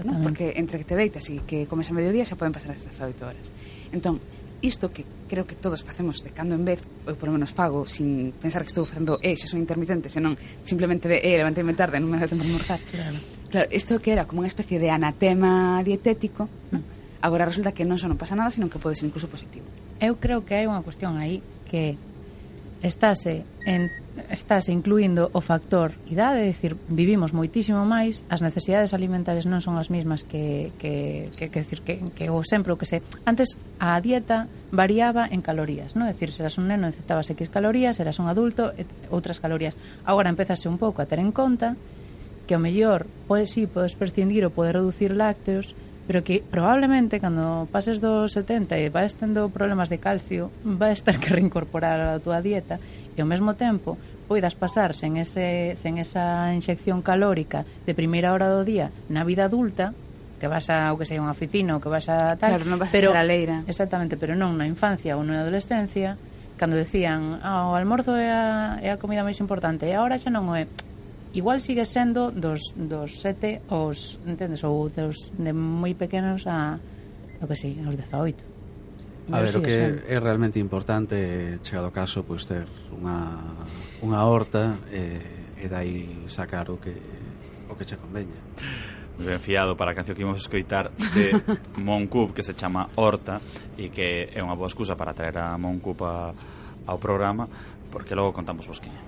¿no? Porque entre que te deitas e que comes a mediodía xa poden pasar as dezaoito horas. Entón, isto que creo que todos facemos de cando en vez, ou por lo menos fago sin pensar que estou facendo eh, xa son intermitente, senón simplemente de eh, levantei-me tarde, non me dá tempo de almorzar. Claro. Claro, isto que era como unha especie de anatema dietético, ¿no? Agora resulta que non só non pasa nada, senón que pode ser incluso positivo. Eu creo que hai unha cuestión aí que estáse en, estáse incluindo o factor idade, é dicir, vivimos moitísimo máis, as necesidades alimentarias non son as mesmas que que que que decir que que o sempre o que se antes a dieta variaba en calorías, non? É dicir, se eras un neno necesitabas X calorías, eras un adulto et, outras calorías. Agora empezase un pouco a ter en conta que o mellor, pois si, podes prescindir ou podes reducir lácteos, pero que probablemente cando pases dos setenta e vais tendo problemas de calcio vais ter que reincorporar a túa dieta e ao mesmo tempo poidas pasar sen, ese, sen esa inxección calórica de primeira hora do día na vida adulta, que vas a, o que sei, unha oficina ou que vas a tal, claro, non vas pero, a ser a leira. Exactamente, pero non na infancia ou na adolescencia, cando decían ah, o almorzo é a, é a comida máis importante e agora xa non o é, igual sigue sendo dos, dos sete aos, entendes, ou dos de moi pequenos a, o que sei, aos dezaoito. A ver, o que sendo. É realmente importante, chegado o caso, pois ter unha, unha horta e, e dai sacar o que o que che conveña. Ben fiado para a canción que imos escoitar de Moncup, que se chama Horta, e que é unha boa excusa para traer a Moncup a, ao programa, porque logo contamos vos que é.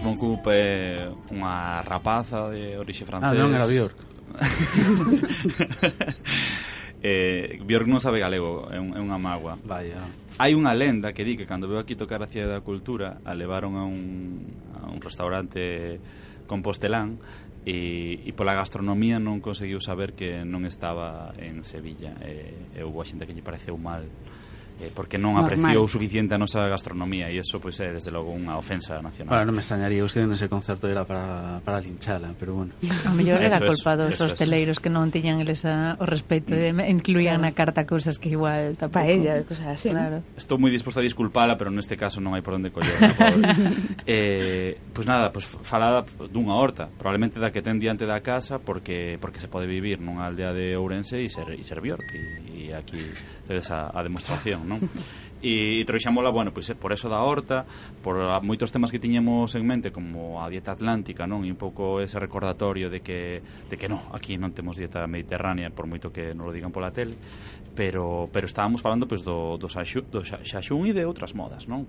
Moncup é unha rapaza de orixe francés. Ah, non era Björk. eh, Björk non sabe galego, é, un, é unha mágoa. Vaya. Hai unha lenda que di que cando veo aquí tocar a Cidade da Cultura a levaron a un, a un restaurante compostelán e, e pola gastronomía non conseguiu saber que non estaba en Sevilla, e, e houve a xente que lle pareceu mal eh, porque non apreciou suficiente a nosa gastronomía, e iso pois é desde logo unha ofensa nacional. Bueno, non me extrañaría, usted nese concerto era para, para linchala, pero bueno. A mellor era culpa dos hosteleiros que non tiñan eles a, o respeito de incluían claro. na carta cousas que igual tampouco. Paella, cosas así. Claro. Estou moi disposto a disculpala, pero neste caso non hai por onde coller. eh, pois nada, pois falada dunha horta, probablemente da que ten diante da casa, porque porque se pode vivir nunha aldea de Ourense e ser, e ser Bjork, e, e aquí tedes a, a demostración, non? E, e trouxámola, bueno, pois por eso da horta, por a, moitos temas que tiñemos en mente, como a dieta atlántica, non? E un pouco ese recordatorio de que, de que non, aquí non temos dieta mediterránea, por moito que non lo digan pola tele, pero, pero estábamos falando pois, do, do, xaxu, do xaxún e de outras modas, non?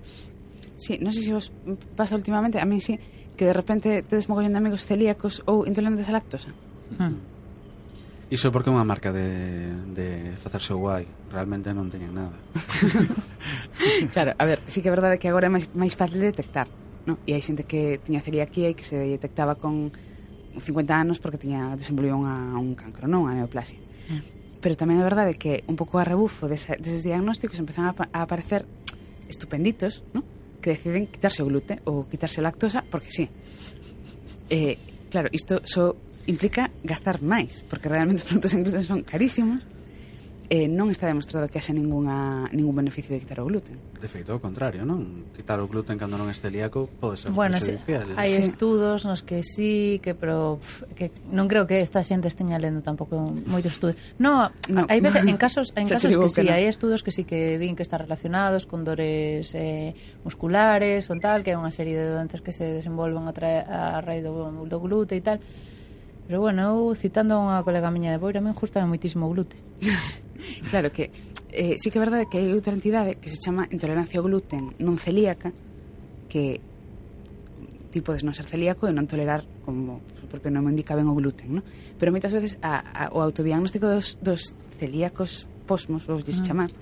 Sí, non sei se vos pasa últimamente, a mí sí, que de repente tedes mogollón de amigos celíacos ou intolerantes a lactosa. Hmm. Iso porque é unha marca de, de facerse guai. Realmente non teñen nada. Claro, a ver, sí que é verdade que agora é máis, máis fácil de detectar, ¿no? E hai xente que tiña celiaquía e que se detectaba con cincuenta anos porque tiña desenvolvido unha, un cancro, non? Unha neoplasia. Mm. Pero tamén é verdade que un pouco a rebufo dese, deses diagnósticos empezan a, a aparecer estupenditos, ¿no? Que deciden quitarse o glute ou quitarse a lactosa porque sí. Eh, claro, isto só implica gastar máis, porque realmente os produtos en gluten son carísimos. Eh, non está demostrado que haxa ninguna, ningún beneficio de quitar o gluten. De feito, ao contrario, non? Quitar o gluten cando non é celíaco pode ser bueno, perjudicial. Sí, hai sí. estudos nos que sí, que pero pff, que non creo que esta xente esteña lendo tampouco moitos estudos. No, no. hai veces en casos en casos que sí, no. hai estudos que sí que din que están relacionados con dores eh, musculares ou tal, que hai unha serie de doentes que se desenvolven a, tra- a raíz do, do glute e tal. Pero bueno, eu citando a unha colega miña de Boira, a min gustame moitísimo o glute. Claro que eh, sí que é verdade que hai outra entidade que se chama intolerancia ao gluten non celíaca, que ti podes non ser celíaco e non tolerar, como o propio nome indica, ben o gluten, ¿no? Pero moitas veces a, a, o autodiagnóstico dos, dos celíacos posmos, vos dixes chamar,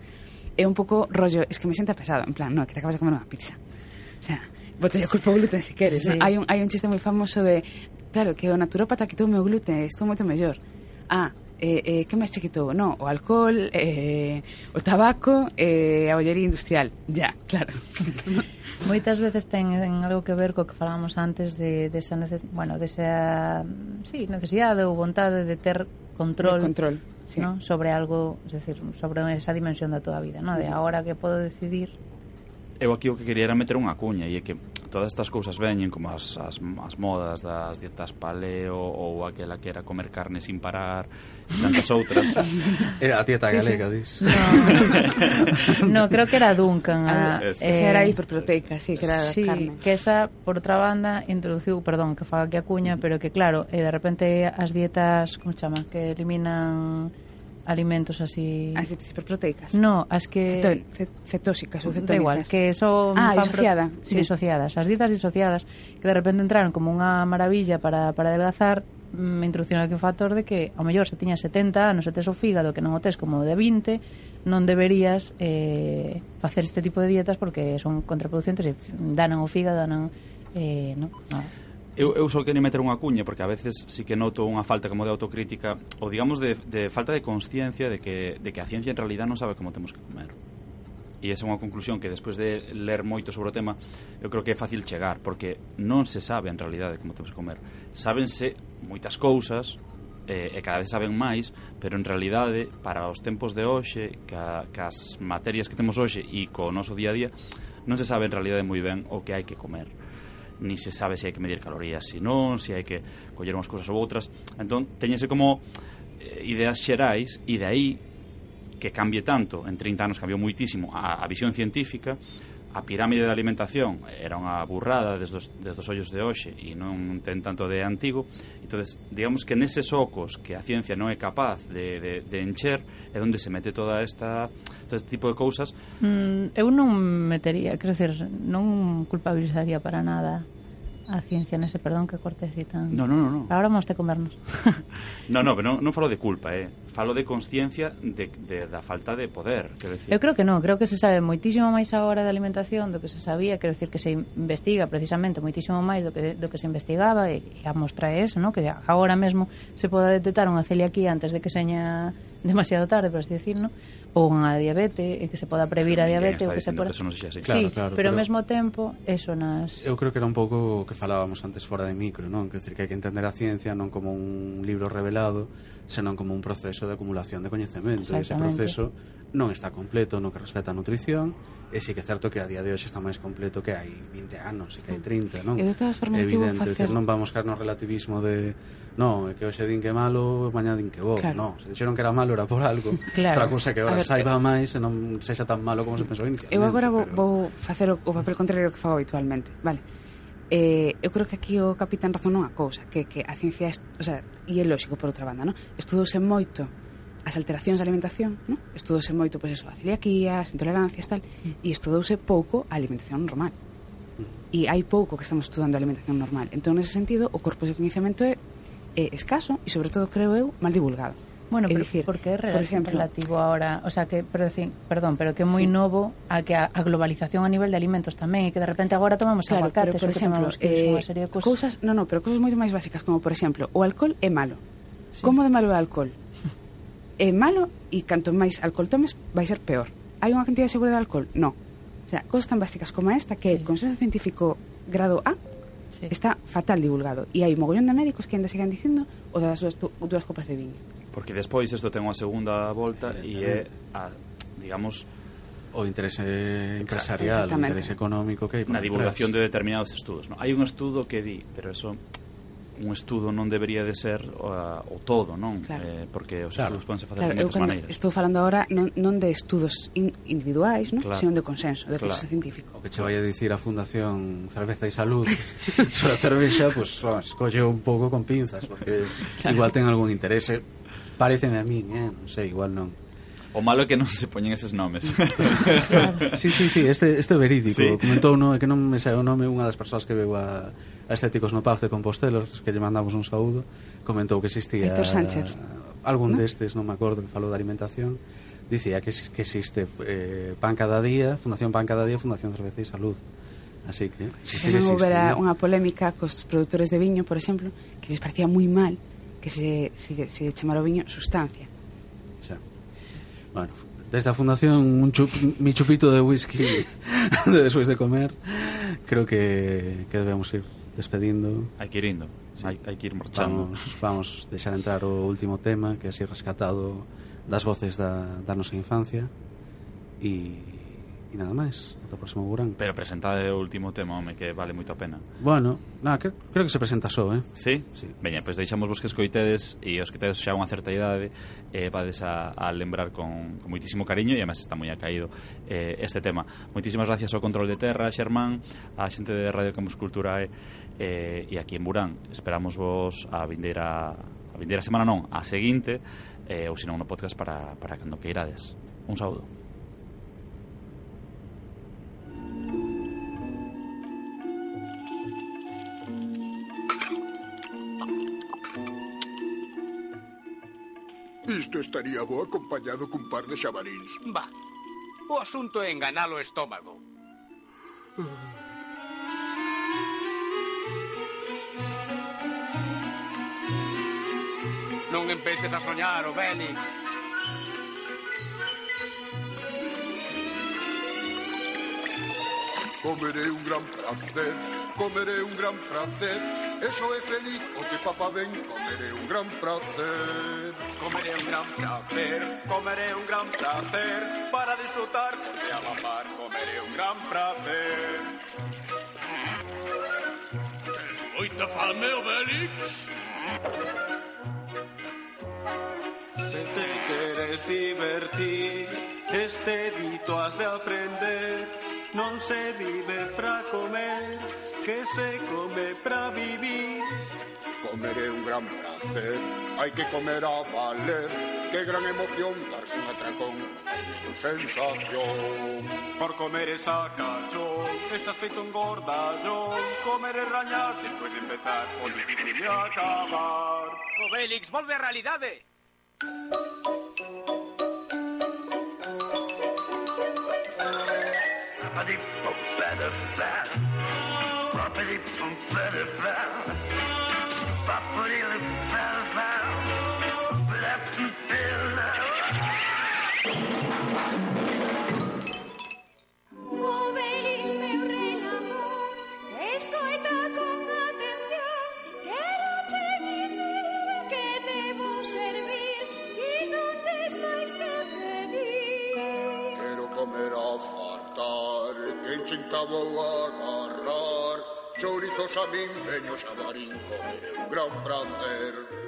é un pouco rollo, es que me sienta pesado, en plan, no, que te acabas de comer unha pizza, o sea, bote a culpa o gluten se queres, sí. ¿No? Hai un, hai un chiste moi famoso de, claro, que o naturópata quitou o meu gluten, estou moito mellor. Ah, eh, eh, que máis che quitou? No, o alcohol, eh, o tabaco, eh, a ollería industrial. Ya, claro. Moitas veces ten algo que ver co que falábamos antes de, de esa neces- bueno, de esa sí, necesidade ou vontade de ter control, de control sí. ¿no? sobre algo, es decir, sobre esa dimensión da tua vida, ¿no? De agora que podo decidir. Eu aquí o que quería era meter unha cuña, e é que todas estas cousas veñen como as, as, as modas das dietas paleo ou aquela que era comer carne sin parar e tantas outras. Era a dieta sí, galega, sí. dis. No. no, creo que era Duncan. Ah, a, esa eh, era hiperproteica, sí, que era sí, carne. Que esa, por outra banda, introduciu, perdón, que faga aquí a cuña, pero que claro, eh, de repente as dietas, como se chama, que eliminan alimentos así... As dietas hiperproteicas? No, as que... Ceto, cetóxicas ou cetónicas. Da igual, que son... Ah, disociada. Pro... Sí. Disociadas. As dietas disociadas que de repente entraron como unha maravilla para, para adelgazar, me introducciono aquí un factor de que ao mellor se tiña setenta anos e tes o fígado que non o tes como de vinte, non deberías eh, facer este tipo de dietas porque son contraproducentes e danan o fígado, danan... Eh, no, no. Eu, eu só quería meter unha cuña porque a veces sí que noto unha falta como de autocrítica ou digamos de, de falta de consciencia de que, de que a ciencia en realidad non sabe como temos que comer. E esa é unha conclusión que despois de ler moito sobre o tema eu creo que é fácil chegar porque non se sabe en realidade como temos que comer. Sábense moitas cousas eh, e cada vez saben máis, pero en realidade para os tempos de hoxe ca, cas materias que temos hoxe e co noso día a día non se sabe en realidade moi ben o que hai que comer, ni se sabe se hai que medir calorías, se non, se hai que coller unhas cousas ou outras. Entón, teñese como eh, ideas xerais e de aí que cambie tanto, en trinta anos cambiou moitísimo a, a visión científica, a pirámide de alimentación era unha burrada desde os, desde os ollos de hoxe e non ten tanto de antigo. Entonces, digamos que neses ocos que a ciencia non é capaz de, de, de encher é onde se mete toda esta todo este tipo de cousas. Mm, eu non metería, quero dizer, non culpabilizaría para nada a ciencia nese, perdón que corte así tan... No, no, no, no. Ahora vamos a comernos. no, no, pero non, non falo de culpa, eh. Falo de consciencia de, de, da falta de poder, quero decir. Eu creo que non, creo que se sabe moitísimo máis agora de alimentación do que se sabía, quero decir que se investiga precisamente moitísimo máis do que, do que se investigaba e, e a mostra é eso, ¿no? Que agora mesmo se poda detectar unha celiaquía antes de que seña demasiado tarde, por así decir, ¿no? ou unha diabetes, e que se poda previr a diabetes, ou que se poda... Que eso non sexa así. Sí, claro, claro, pero ao pero... mesmo tempo, eso nas... Eu creo que era un pouco o que falábamos antes fora de micro, non? Quer dizer, que hai que entender a ciencia non como un libro revelado, senón como un proceso de acumulación de coñecemento. E ese proceso non está completo no que respecta a nutrición, e sí que é certo que a día de hoxe está máis completo que hai vinte anos e que hai trinta, non? E de todas formas, evidente, facer... decir, non vamos caer no relativismo de non, é que hoxe din que é malo, mañá din que bo, claro. non, se dixeron que era malo era por algo. Claro. Outra cousa que agora ver, saiba máis e non sexa tan malo como se pensou inicialmente. Eu agora vou, pero... vou facer o, o papel contrario que fago habitualmente, vale? Eh, eu creo que aquí o capitán razón nunha cousa, que, que a ciencia, est... o sea, e é lógico por outra banda, non? Estudouse moito as alteracións da alimentación, non? Estudouse moito, pois eso, a celiaquía, as intolerancias, tal, mm. e estudouse pouco a alimentación normal. Mm. E hai pouco que estamos estudando a alimentación normal. Entón, nese sentido, o corpo de coñecemento é, é escaso e, sobre todo, creo eu, mal divulgado. Bueno, é pero dicir, porque é por exemplo, relativo ahora, o sea, que pero decir, perdón, pero que é moi sí. novo a que a, a globalización a nivel de alimentos tamén, e que de repente agora tomamos claro, aguacates, pero, por exemplo, eh, unha serie de cousas, cousas, no, no, pero cousas moito máis básicas, como por exemplo, o alcohol é malo. Sí. Como de malo é o alcohol? É malo e canto máis alcohol tomes vai ser peor. Hai unha cantidad segura de alcohol? No. O sea, cousas tan básicas como esta que sí. con consenso científico grado A sí. está fatal divulgado, e hai mogollón de médicos que ainda sigan dicindo o das dúas, dúas copas de viño. Porque despois isto ten unha segunda volta e é a, digamos, o interese empresarial, o interese económico que hai na divulgación de determinados estudos, non? Hai un estudo que di, pero eso un estudo non debería de ser o, o todo, non? Claro. Eh, porque os claro. estudos podense facer claro, de moitas maneiras. Estou falando agora non, non de estudos in, individuais, non? Claro. Sino de consenso, de claro. consenso científico. O que che vai a dicir a Fundación Cerveza e Salud sobre a cervexa, pues, escolle un pouco con pinzas, porque claro. igual ten algún interese. Pareceme a min, eh? Non sei, igual non. O malo é que non se poñen eses nomes. Sí, sí, sí, este, este verídico. Sí. Comentou, no, é que non me sei o nome, unha das persoas que veu a, a Estéticos no Paz de Compostela, que lle mandamos un saúdo, comentou que existía Héctor Sánchez, algún ¿no? destes, non me acordo, que falou da alimentación, dicía que, que existe eh, Pan Cada Día, Fundación Pan Cada Día, Fundación Cerveza e Salud. Así que existir existe. Non houbera unha polémica cos produtores de viño, por exemplo, que les parecía moi mal que se, se, se chamara o viño sustancia. Xa. Bueno, desde a Fundación un chup, mi chupito de whisky de despois de comer, creo que, que debemos ir despedindo. Hai que ir indo, sí. hai, hai que ir marchando. Vamos, vamos deixar entrar o último tema, que é así rescatado das voces da, da nosa infancia, e e nada máis, ata o próximo Burán. Pero presentade o último tema, home, que vale moito a pena. Bueno, nada, que, creo que se presenta só, eh? Sí? Sí. Veña, pois pues deixamos vos que escoitedes, e os que tedes xa unha certa idade eh, vades a, a lembrar con, con moitísimo cariño, e además está moi acaído eh, este tema. Moitísimas gracias ao Control de Terra, Xermán, a xente de Radio Campus Culturae, eh, e aquí en Burán. Esperamos vos a vindeira, a vindeira semana non, a seguinte, eh, ou senón no podcast para, para cando que irades. Un saúdo. Isto estaría bo acompañado cun par de xabaríns. Va, o asunto é enganar o estómago. Non empeces a soñar, o Bélix. Comeré un gran placer, comeré un gran placer. Eso é feliz, o que papá ven, comeré un gran placer. Comeré un gran placer, comeré un gran placer. Para disfrutar, de a la par, comeré un gran placer. Tes moita fame, o Bélix? Se te queres divertir, este dito has de aprender. Non se vive pra comer, que se come pra vivir. Comeré un gran placer, hai que comer a valer. Que gran emoción darse un atracón, unha sensación. Por comer esa cachón, estás feito un gordallón. Comer e rañar, despois de empezar, por vivir e acabar. O Bélix, volve á realidade. Obelix, meu rei amor, escoita con atención. Quero che dicir que te vou servir e non tes máis que pedir. Quero comer a fartar, que enchenta vou agarrar. Chorizos a min, veños a Marín, comer é un gran prazer.